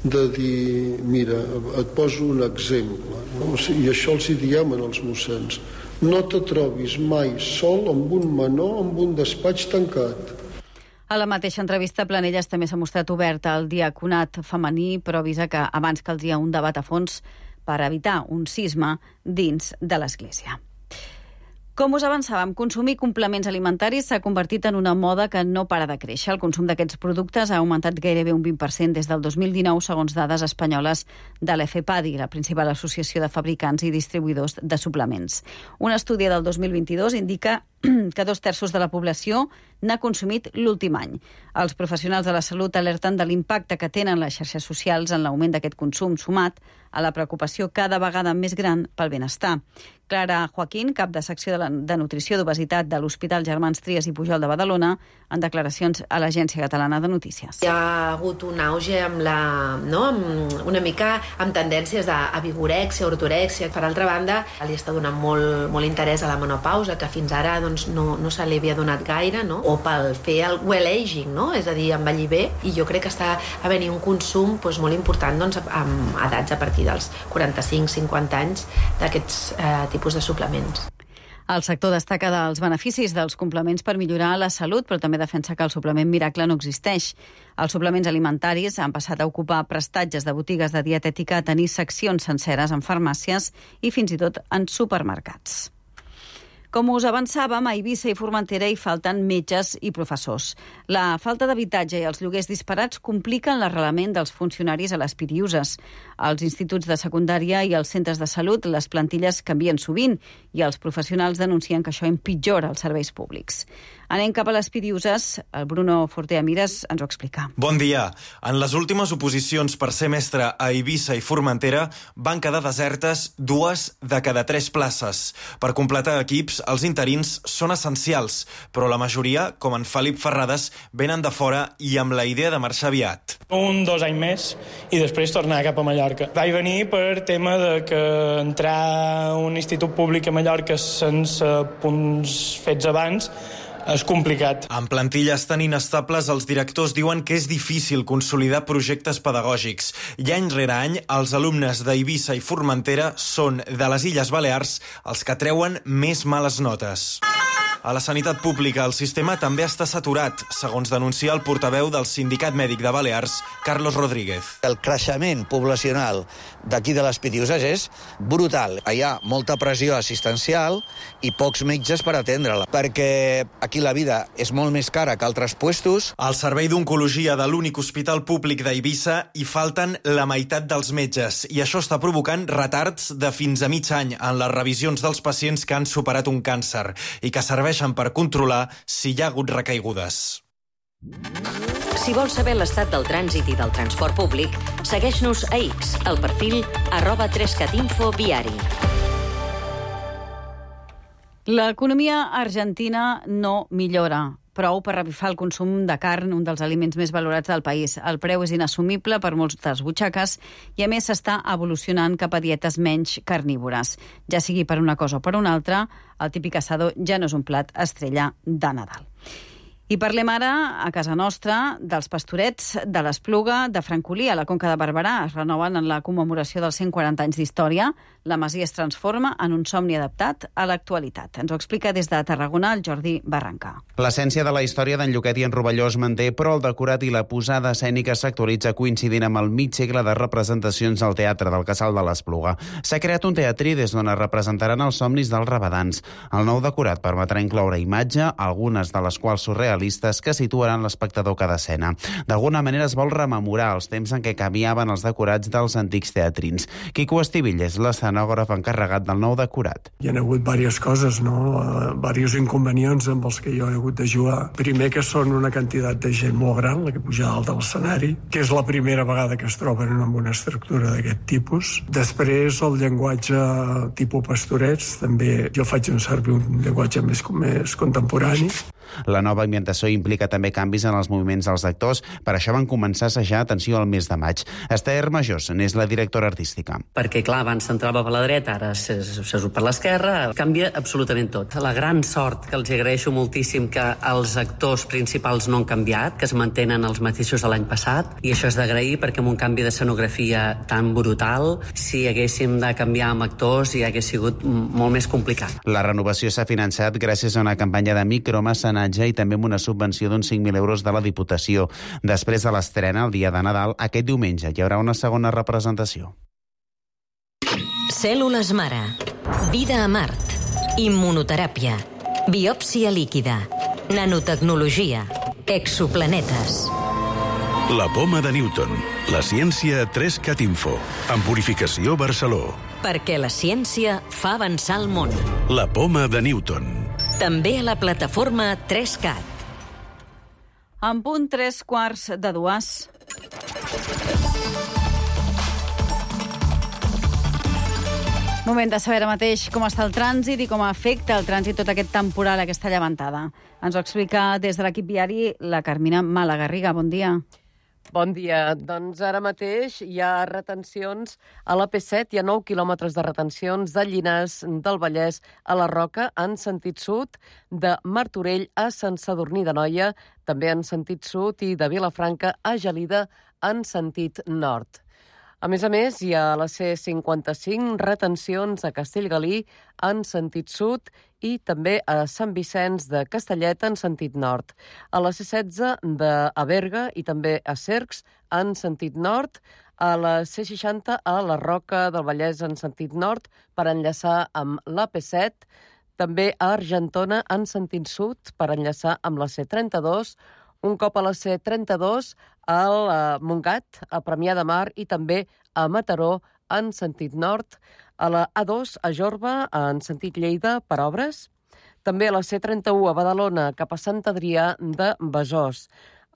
de dir, mira, et poso un exemple, no? O sigui, i això els hi diem als mossens. No te trobis mai sol amb un menor amb un despatx tancat. A la mateixa entrevista, Planelles també s'ha mostrat oberta al diaconat femení, però avisa que abans caldria un debat a fons per evitar un cisma dins de l'Església. Com us avançàvem, consumir complements alimentaris s'ha convertit en una moda que no para de créixer. El consum d'aquests productes ha augmentat gairebé un vint per cent des del dos mil dinou, segons dades espanyoles de l'EFEPADI, la principal associació de fabricants i distribuïdors de suplements. Un estudi del dos mil vint-i-dos indica que dos terços de la població n'ha consumit l'últim any. Els professionals de la salut alerten de l'impacte que tenen les xarxes socials en l'augment d'aquest consum, sumat a la preocupació cada vegada més gran pel benestar. Clara Joaquín, cap de secció de, la, de nutrició d'obesitat de l'Hospital Germans Trias i Pujol de Badalona, en declaracions a l'Agència Catalana de Notícies. Hi ha hagut un auge amb la, no, amb una mica amb tendències a, a vigorèxia, ortorèxia. Per altra banda, li està donant molt, molt interès a la menopausa, que fins ara doncs, no, no se li havia donat gaire, no? O pel fer el well aging, no? És a dir, envellir bé, i jo crec que està havent-hi un consum doncs, molt important doncs, amb edats a partir dels quaranta-cinc cinquanta anys d'aquests eh, tipus de suplements. El sector destaca dels beneficis dels complements per millorar la salut, però també defensa que el suplement miracle no existeix. Els suplements alimentaris han passat a ocupar prestatges de botigues de dietètica, a tenir seccions senceres en farmàcies i fins i tot en supermercats. Com us avançàvem, a Eivissa i Formentera hi falten metges i professors. La falta d'habitatge i els lloguers disparats compliquen l'arrelament dels funcionaris a les Pitiüses. Als instituts de secundària i als centres de salut les plantilles canvien sovint i els professionals denuncien que això empitjora els serveis públics. Anem cap a les Pitiüses. El Bruno Fortea Mires ens ho explica. Bon dia. En les últimes oposicions per ser mestre a Eivissa i Formentera van quedar desertes dues de cada tres places. Per completar equips, els interins són essencials, però la majoria, com en Felip Ferrades, venen de fora i amb la idea de marxar aviat. Un, dos anys més i després tornar cap a Mallorca. Vaig venir per tema de que entrar a un institut públic a Mallorca sense punts fets abans és complicat. En plantilles tan inestables, els directors diuen que és difícil consolidar projectes pedagògics. I any rere any, els alumnes d'Eivissa i Formentera són, de les Illes Balears, els que treuen més males notes. A la sanitat pública, el sistema també està saturat, segons denuncia el portaveu del Sindicat Mèdic de Balears, Carlos Rodríguez. El creixement poblacional d'aquí de les Pitiüses és brutal. Hi ha molta pressió assistencial i pocs metges per atendre-la, perquè aquí la vida és molt més cara que altres puestos. Al servei d'oncologia de l'únic hospital públic d'Eivissa hi falten la meitat dels metges i això està provocant retards de fins a mig any en les revisions dels pacients que han superat un càncer i que serveixen per controlar si hi ha hagut recaigudes. Si vols saber l'estat del trànsit i del transport públic, segueix-nos a X, al perfil arroba trescatinfo viari. L'economia argentina no millora prou per revifar el consum de carn, un dels aliments més valorats del país. El preu és inassumible per moltes butxaques i, a més, s'està evolucionant cap a dietes menys carnívores. Ja sigui per una cosa o per una altra, el típic assador ja no és un plat estrella de Nadal. I parlem ara, a casa nostra, dels pastorets de l'Espluga de Francolí, a la Conca de Barberà. Es renoven en la commemoració dels cent quaranta anys d'història. La masia es transforma en un somni adaptat a l'actualitat. Ens ho explica des de Tarragona el Jordi Barranca. L'essència de la història d'en Lluquet i en Rovelló es manté, però el decorat i la posada escènica s'actualitza coincidint amb el mig segle de representacions al Teatre del Casal de l'Espluga. S'ha creat un teatrí des d'on es representaran els somnis dels rabadans. El nou decorat permetrà incloure imatge, algunes de les quals surrealistes, que situaran l'espectador cada escena. D'alguna manera es vol rememorar els temps en què canviaven els decorats dels antics teatrins. Quico Estivill és l'escenògraf encarregat del nou decorat. Hi ha hagut diverses coses, no? Uh, diversos inconvenients amb els que jo he hagut de jugar. Primer, que són una quantitat de gent molt gran, la que puja dalt de l'escenari, que és la primera vegada que es troben amb una estructura d'aquest tipus. Després, el llenguatge tipus pastorets, també jo faig un servir un llenguatge més, més contemporani. La nova ambientació implica també canvis en els moviments dels actors, per això van començar a assajar, atenció, al mes de maig. Esther Majós n'és la directora artística. Perquè, clar, abans s'entrava per la dreta, ara s'ha surt per l'esquerra, canvia absolutament tot. La gran sort, que els agraeixo moltíssim, que els actors principals no han canviat, que es mantenen els mateixos de l'any passat, i això és d'agrair perquè amb un canvi d'escenografia tan brutal, si haguéssim de canviar amb actors ja hagués sigut molt més complicat. La renovació s'ha finançat gràcies a una campanya de micromecenatge i també amb una subvenció d'uns cinc mil euros de la Diputació. Després de l'estrena, el dia de Nadal, aquest diumenge hi haurà una segona representació. Cèl·lules mare. Vida a Mart. Immunoteràpia. Biòpsia líquida. Nanotecnologia. Exoplanetes. La poma de Newton. La ciència tres cat Info. En Purificació Barceló. Perquè la ciència fa avançar el món. La poma de Newton. També a la plataforma tres cat. En punt tres quarts de dues. Moment de saber ara mateix com està el trànsit i com afecta el trànsit tot aquest temporal, aquesta llevantada. Ens ho explica des de l'equip viari la Carmina Malagarriga. Bon dia. Bon dia. Doncs ara mateix hi ha retencions a la P set, hi ha nou quilòmetres de retencions de Llinars del Vallès a la Roca en sentit sud, de Martorell a Sant Sadurní d'Anoia, també en sentit sud, i de Vilafranca a Gelida en sentit nord. A més a més, hi ha a la C cinquanta-cinc retencions a Castellgalí en sentit sud i també a Sant Vicenç de Castellet en sentit nord. A la C setze de Berga i també a Cercs en sentit nord. A la C seixanta a la Roca del Vallès en sentit nord per enllaçar amb la P set. També a Argentona en sentit sud per enllaçar amb la C trenta-dos. Un cop a la C trenta-dos, al Montgat, a Premià de Mar i també a Mataró en sentit nord. A la A dos, a Jorba, en sentit Lleida, per obres. També a la C trenta-u, a Badalona, cap a Sant Adrià de Besòs.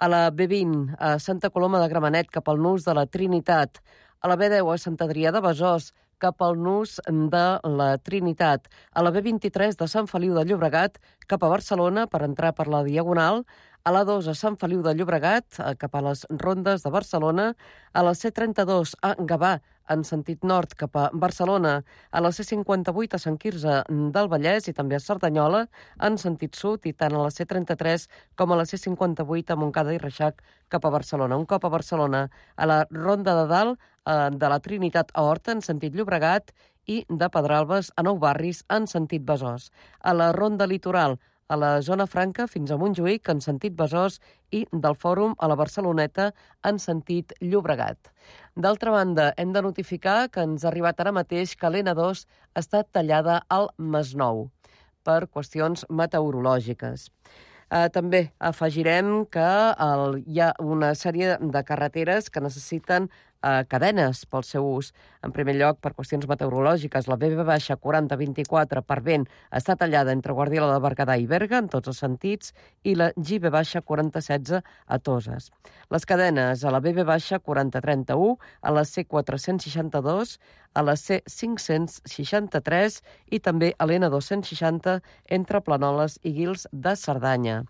A la B vint, a Santa Coloma de Gramenet, cap al nus de la Trinitat. A la B deu, a Sant Adrià de Besòs, cap al nus de la Trinitat. A la B vint-i-tres, de Sant Feliu de Llobregat, cap a Barcelona, per entrar per la Diagonal. A la dos, a Sant Feliu de Llobregat, cap a les Rondes de Barcelona. A la C trenta-dos, a Gavà, en sentit nord, cap a Barcelona. A la C cinquanta-vuit, a Sant Quirze del Vallès i també a Cerdanyola, en sentit sud, i tant a la C trenta-tres com a la C cinquanta-vuit, a Montcada i Reixac, cap a Barcelona. Un cop a Barcelona, a la Ronda de Dalt, de la Trinitat a Horta, en sentit Llobregat, i de Pedralbes a Nou Barris, en sentit Besòs. A la Ronda Litoral, a la Zona Franca fins a Montjuïc, en sentit Besòs, i del Fòrum a la Barceloneta, en sentit Llobregat. D'altra banda, hem de notificar que ens ha arribat ara mateix que l'N dos està tallada al Masnou per qüestions meteorològiques. Eh, també afegirem que el, hi ha una sèrie de carreteres que necessiten eh, cadenes pel seu ús. En primer lloc, per qüestions meteorològiques, la B B quaranta vint-i-quatre per vent està tallada entre Guardiola de Berguedà i Berga, en tots els sentits, i la G B quaranta setze a Toses. Les cadenes a la B B quaranta trenta-u, a la C quatre-cents seixanta-dos, a la C cinc-cents seixanta-tres i també a l'N dos-cents seixanta entre Planoles i Guils de Cerdanya.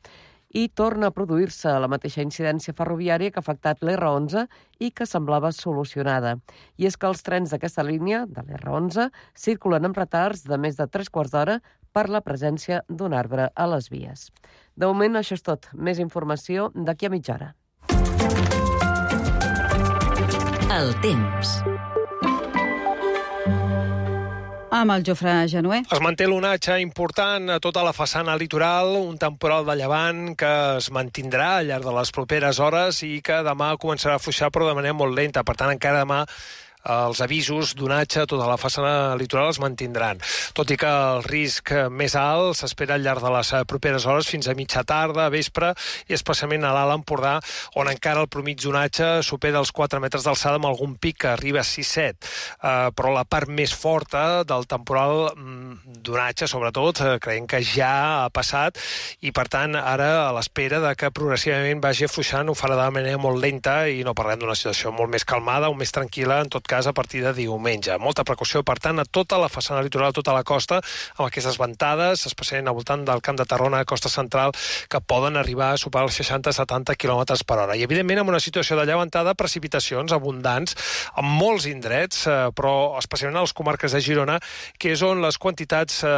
I torna a produir-se la mateixa incidència ferroviària que ha afectat l'R onze i que semblava solucionada. I és que els trens d'aquesta línia, de l'R onze, circulen amb retards de més de tres quarts d'hora per la presència d'un arbre a les vies. De moment, això és tot. Més informació d'aquí a mitja hora. El temps. Amb el Jofre Genuer. Es manté l'onatge important a tota la façana litoral, un temporal de llevant que es mantindrà al llarg de les properes hores i que demà començarà a afluixar però de manera molt lenta. Per tant, encara demà els avisos d'onatge a tota la façana litoral es mantindran. Tot i que el risc més alt s'espera al llarg de les properes hores fins a mitja tarda, vespre, i especialment a l'Alt Empordà, on encara el promig d'onatge supera els quatre metres d'alçada amb algun pic que arriba a sis set. Uh, però la part més forta del temporal mm, d'onatge, sobretot, uh, creiem que ja ha passat i, per tant, ara a l'espera de que progressivament vagi afluixant ho farà de manera molt lenta i no parlem d'una situació molt més calmada o més tranquil·la, en tot cas, cas a partir de diumenge. Molta precaució, per tant, a tota la façana litoral, a tota la costa, amb aquestes ventades, especialment al voltant del Camp de Tarrona, costa central, que poden arribar a superar els seixanta a setanta quilòmetres per hora. I, evidentment, amb una situació de llevantada, precipitacions abundants en molts indrets, eh, però especialment a les comarques de Girona, que és on les quantitats eh,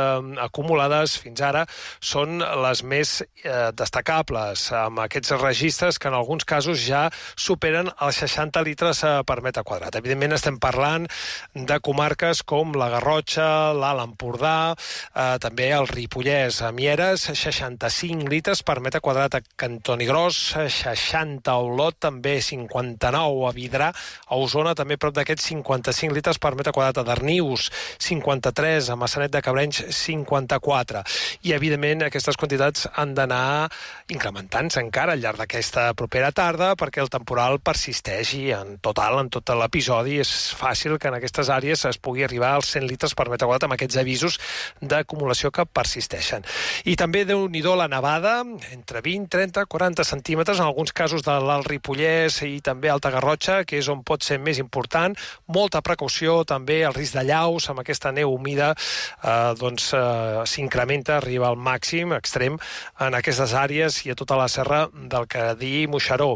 acumulades fins ara són les més eh, destacables, amb aquests registres que en alguns casos ja superen els seixanta litres eh, per metre quadrat. Evidentment estem parlant de comarques com la Garrotxa, l'Alt Empordà, eh, també el Ripollès, a Mieres, seixanta-cinc litres per metre quadrat a Cantonigròs, seixanta a Olot, també cinquanta-nou a Vidrà, a Osona també prop d'aquests cinquanta-cinc litres per metre quadrat a Darnius, cinquanta-tres a Maçanet de Cabrenys, cinquanta-quatre. I, evidentment, aquestes quantitats han d'anar incrementant-se encara al llarg d'aquesta propera tarda perquè el temporal persisteix i en total, en tot l'episodi, és fàcil que en aquestes àrees es pugui arribar als cent litres per metre quadrat amb aquests avisos d'acumulació que persisteixen. I també, déu-n'hi-do, la nevada, entre vint, trenta, quaranta centímetres, en alguns casos de l'Alt Ripollès i també Alta Garrotxa, que és on pot ser més important. Molta precaució, també, el risc de llaus, amb aquesta neu humida, eh, doncs eh, s'incrementa, arriba al màxim extrem en aquestes àrees i a tota la serra del Cadí i Moixeró,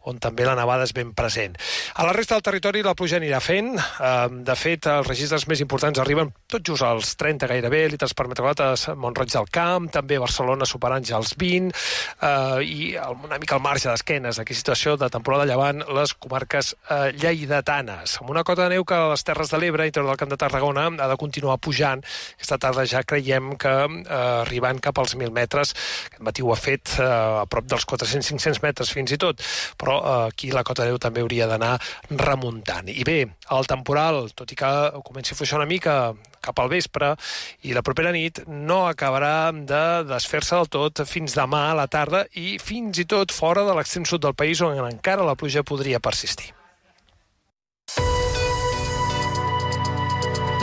on també la nevada és ben present. A la resta del territori la pluja anirà fent. Eh, de fet, els registres més importants arriben tot just als trenta gairebé litres per metre quadrat a Mont-roig del Camp, també a Barcelona superant ja els vint, eh, i una mica al marge d'esquenes d'aquesta situació de temporada llevant les comarques eh, lleidatanes, amb una cota de neu que a les Terres de l'Ebre, interior del Camp de Tarragona, ha de continuar pujant. Aquesta tarda ja creiem que eh, arribant cap als mil metres, aquest matí ho ha fet eh, a prop dels quatre-cents a cinc-cents metres fins i tot, però eh, aquí la cota de neu també hauria d'anar remuntant. I bé, el temporal, tot i que comenci a fluixar una mica cap al vespre i la propera nit, no acabarà de desfer-se del tot fins demà a la tarda i fins i tot fora de l'extrem sud del país on encara la pluja podria persistir.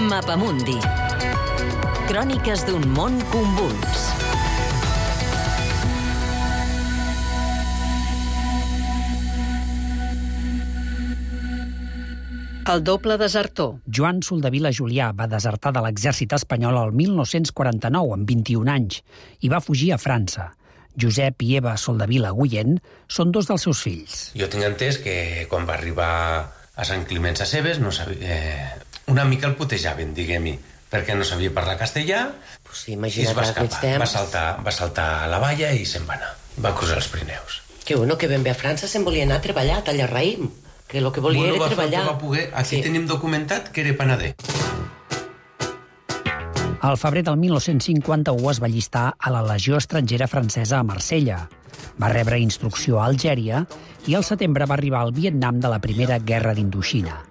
Mapamundi. Cròniques d'un món convuls. El doble desertor. Joan Soldevila Julià va desertar de l'exèrcit espanyol el mil nou-cents quaranta-nou, amb vint-i-un anys, i va fugir a França. Josep i Eva Soldevila Guillén són dos dels seus fills. Jo tinc entès que quan va arribar a Sant Climent Sescebes no sabia, eh, una mica el putejaven, diguem-hi, perquè no sabia parlar castellà, pues sí, i es va escapar. Va saltar, va saltar a la valla i se'n va anar. Va cruzar els Pirineus. Que bueno, que ben bé a França se'n volia anar a treballar a tallar raïm. Que el que volia bueno, era treballar. Va poder, aquí sí. Tenim documentat que era panader. Al febrer del mil nou-cents cinquanta-u es va allistar a la Legió Estrangera Francesa a Marsella. Va rebre instrucció a Algèria i al setembre va arribar al Vietnam de la Primera Guerra d'Indoxina.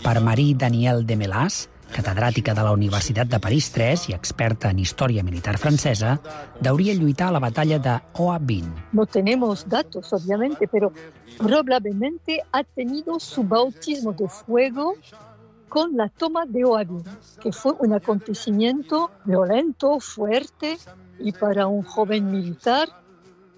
Per Marie Danielle Demelas, catedràtica de la Universitat de París tres i experta en història militar francesa, deuria lluitar a la batalla de Hoa Binh. No tenemos datos, obviamente, pero probablemente ha tenido su bautismo de fuego con la toma de Hoa Binh, que fue un acontecimiento violento, fuerte y para un joven militar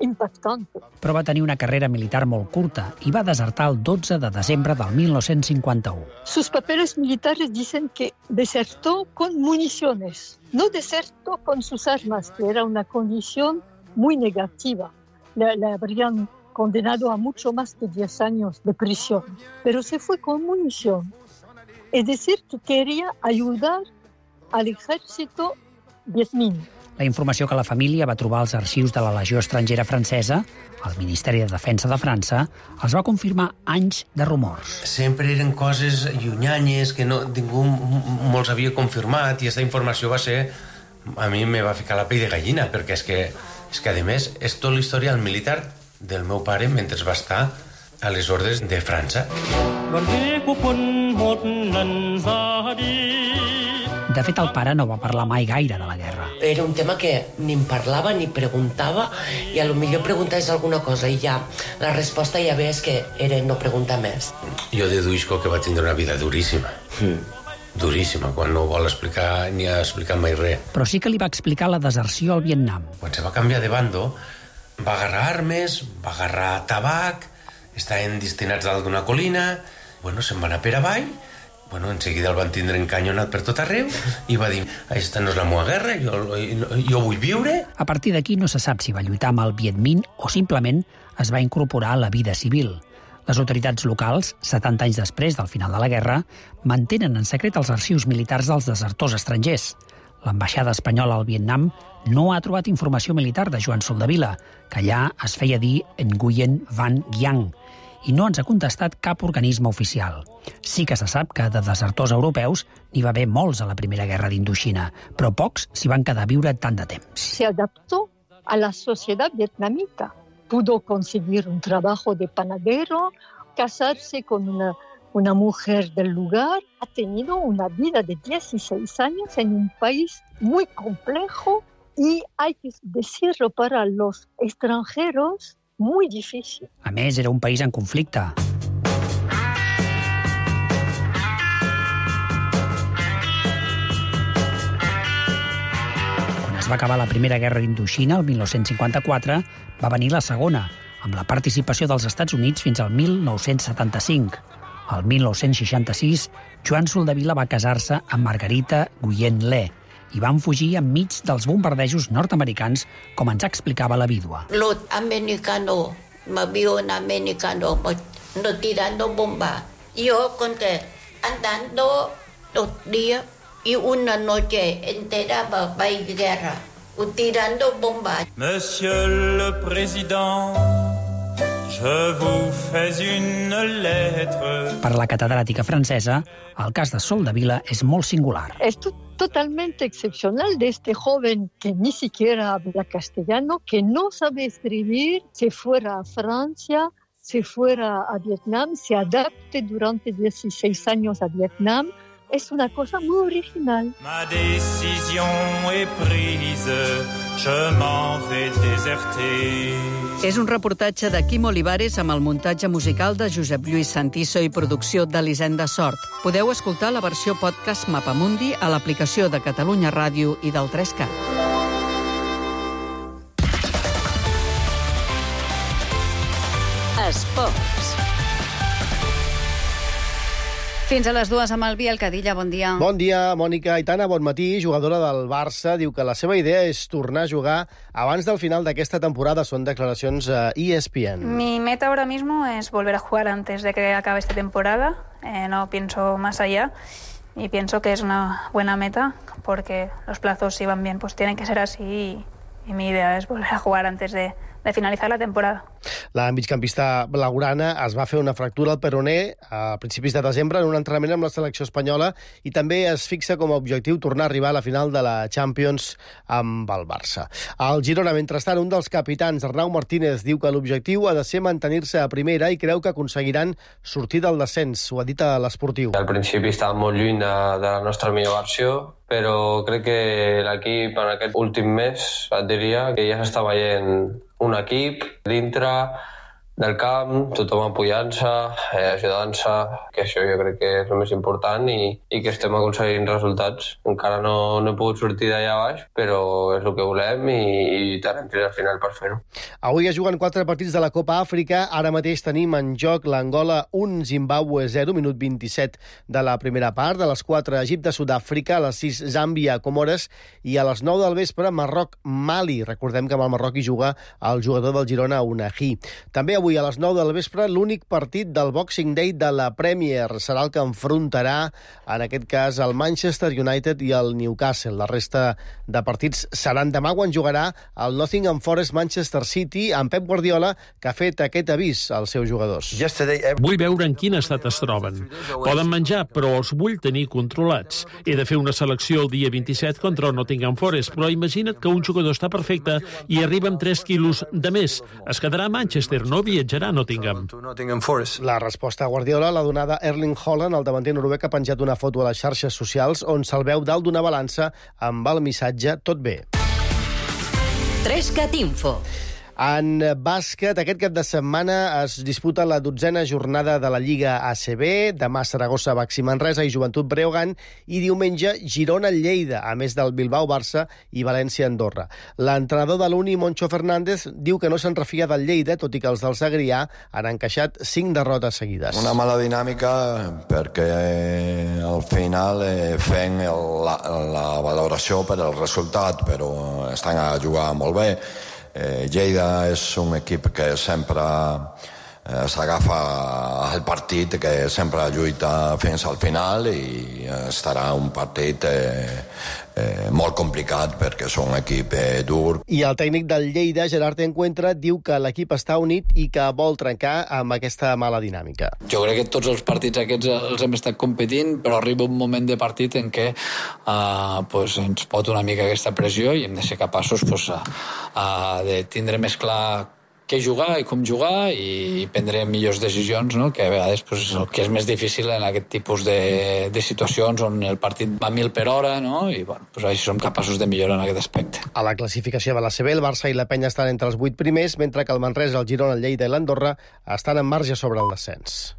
impactante. Però va tenir una carrera militar molt curta i va desertar el dotze de desembre del mil nou-cents cinquanta-u. Sus papeles militares dicen que desertó con municiones, no desertó con sus armas, que era una condición muy negativa. Le, le habrían condenado a mucho más de diez años de prisión, pero se fue con munición. Es decir, que quería ayudar al ejército vietmín. La informació que la família va trobar als arxius de la Legió Estrangera Francesa, al Ministeri de Defensa de França, els va confirmar anys de rumors. Sempre eren coses llunyanyes que no, ningú molts havia confirmat i aquesta informació va ser... A mi me va ficar la pell de gallina, perquè és que, és que a més, és tot l'historial militar del meu pare mentre va estar a les ordres de França. De fet, el pare no va parlar mai gaire de la guerra. Era un tema que ni em parlava ni preguntava i a lo millor preguntaves alguna cosa i ja la resposta ja ves que era no preguntar més. Jo deduïsco que va tindre una vida duríssima. Mm. Duríssima, quan no vol explicar ni ha explicat mai res. Però sí que li va explicar la deserció al Vietnam. Quan se va canviar de bando, va agarrar armes, va agarrar tabac, estaven destinats dalt d'una colina, bueno, se'n va anar per avall, Bueno, en seguida el van tindre encanyonat per tot arreu i va dir, aquesta no és la meva guerra, jo, jo vull viure. A partir d'aquí no se sap si va lluitar amb el Viet Minh o simplement es va incorporar a la vida civil. Les autoritats locals, setanta anys després del final de la guerra, mantenen en secret els arxius militars dels desertors estrangers. L'ambaixada espanyola al Vietnam no ha trobat informació militar de Joan Soldevila, que allà es feia dir Nguyen Van Giang, i no ens ha contestat cap organisme oficial. Sí que se sap que de desertors europeus n'hi va haver molts a la Primera Guerra d'Indoxina, però pocs s'hi van quedar a viure tant de temps. Se adaptó a la sociedad vietnamita. Pudo conseguir un trabajo de panadero, casarse con una, una mujer del lugar. Ha tenido una vida de dieciséis años en un país muy complejo y hay que decirlo para los extranjeros, muy difícil. A més, era un país en conflicte. Quan es va acabar la Primera Guerra d'Indoxina, el mil nou-cents cinquanta-quatre, va venir la Segona, amb la participació dels Estats Units fins al mil nou-cents setanta-cinc. El mil nou-cents seixanta-sis, Joan Soldevila va casar-se amb Margarita Nguyen Le i van fugir enmig dels bombardejos nord-americans, com ens explicava la vídua. Los americanos, avión americano, no tirando bomba. Yo conté, andando dos días y una noche entera va a ir guerra, tirando bomba. Monsieur le Président, je vous fais une lettre. Per la catedràtica francesa, el cas de Soldevila és molt singular. Es totalmente excepcional de este joven que ni siquiera habla castellano, que no sabe escribir, se fuera a Francia, se fuera a Vietnam, se adapte durante dieciséis años a Vietnam. Es una cosa muy original. Ma décision est prise, je m'en vais déserter. És un reportatge de Quim Olivares amb el muntatge musical de Josep Lluís Santiso i producció d'Elisenda Sort. Podeu escoltar la versió podcast Mapamundi a l'aplicació de Catalunya Ràdio i del tres cat. Esports. Fins a les dues amb el Biel Cadilla, bon dia. Bon dia, Mònica. Aitana, bon matí, jugadora del Barça, diu que la seva idea és tornar a jugar abans del final d'aquesta temporada. Són declaracions a E S P N. Mi meta ahora mismo es volver a jugar antes de que acabe esta temporada. Eh, no pienso más allá y pienso que es una buena meta porque los plazos, si van bien, pues tienen que ser así y, y mi idea es volver a jugar antes de... de finalitzar la temporada. La migcampista blaugrana es va fer una fractura al peroné a principis de desembre en un entrenament amb la selecció espanyola i també es fixa com a objectiu tornar a arribar a la final de la Champions amb el Barça. Al Girona, mentrestant, un dels capitans, Arnau Martínez, diu que l'objectiu ha de ser mantenir-se a primera i creu que aconseguiran sortir del descens. Ho ha dit a l'Esportiu. Al principi estàvem molt lluny de, de la nostra millor versió, però crec que l'equip en aquest últim mes et diria que ja s'està veient un equip dintre del camp, tothom apoyant-se, eh, ajudant-se, que això jo crec que és el més important i, i que estem aconseguint resultats. Encara no, no he pogut sortir d'allà baix, però és el que volem i, i lluitarem fins al final per fer-ho. Avui es juguen quatre partits de la Copa Àfrica. Ara mateix tenim en joc l'Angola un, Zimbàbue zero, minut vint-i-set de la primera part. A les quatre, Egipte, Sud-àfrica, a les sis, Zàmbia, Comores, i a les nou del vespre, Marroc, Mali. Recordem que amb el Marroc hi juga el jugador del Girona, Unahi. També avui a les nou del vespre, l'únic partit del Boxing Day de la Premier. Serà el que enfrontarà, en aquest cas, el Manchester United i el Newcastle. La resta de partits seran demà, quan jugarà el Nottingham Forest Manchester City, amb Pep Guardiola, que ha fet aquest avís als seus jugadors. Vull veure en quin estat es troben. Poden menjar, però els vull tenir controlats. He de fer una selecció el dia vint-i-set contra el Nottingham Forest, però imagina't que un jugador està perfecte i arriba amb tres quilos de més. Es quedarà a Manchester, no viatjarà a Nottingham. La resposta a Guardiola l'ha donada Erling Haaland, el davanter noruec, ha penjat una foto a les xarxes socials on se'l veu dalt d'una balança amb el missatge "tot bé". tres cat Info. En bàsquet, aquest cap de setmana es disputa la dotzena jornada de la Lliga A C B. Demà Saragossa, Baxi Manresa i Joventut Breogán. I diumenge Girona-Lleida, a més del Bilbao-Barça i València-Andorra. L'entrenador de l'Uni, Moncho Fernández, diu que no se'n refia del Lleida, tot i que els del Segrià han encaixat cinc derrotes seguides. Una mala dinàmica perquè al final eh, fem el, la, la valoració per el resultat, però estan a jugar molt bé. Eh, Lleida és un equip que sempre eh, s'agafa al partit, que sempre lluita fins al final i estarà un partit eh, eh, molt complicat perquè és un equip eh, dur. I el tècnic del Lleida, Gerard Encuentra, diu que l'equip està unit i que vol trencar amb aquesta mala dinàmica. Jo crec que tots els partits aquests els hem estat competint, però arriba un moment de partit en què uh, pues, ens pot una mica aquesta pressió i hem de ser capaços pues, uh, uh, de tindre més clar què jugar i com jugar i prendre millors decisions, no? Que a vegades pues, és el que és més difícil en aquest tipus de, de situacions on el partit va a mil per hora, no? I bueno, pues, així som capaços de millorar en aquest aspecte. A la classificació de la C B, el Barça i la Penya estan entre els vuit primers, mentre que el Manresa, el Girona, el Lleida i l'Andorra estan en marge sobre el descens.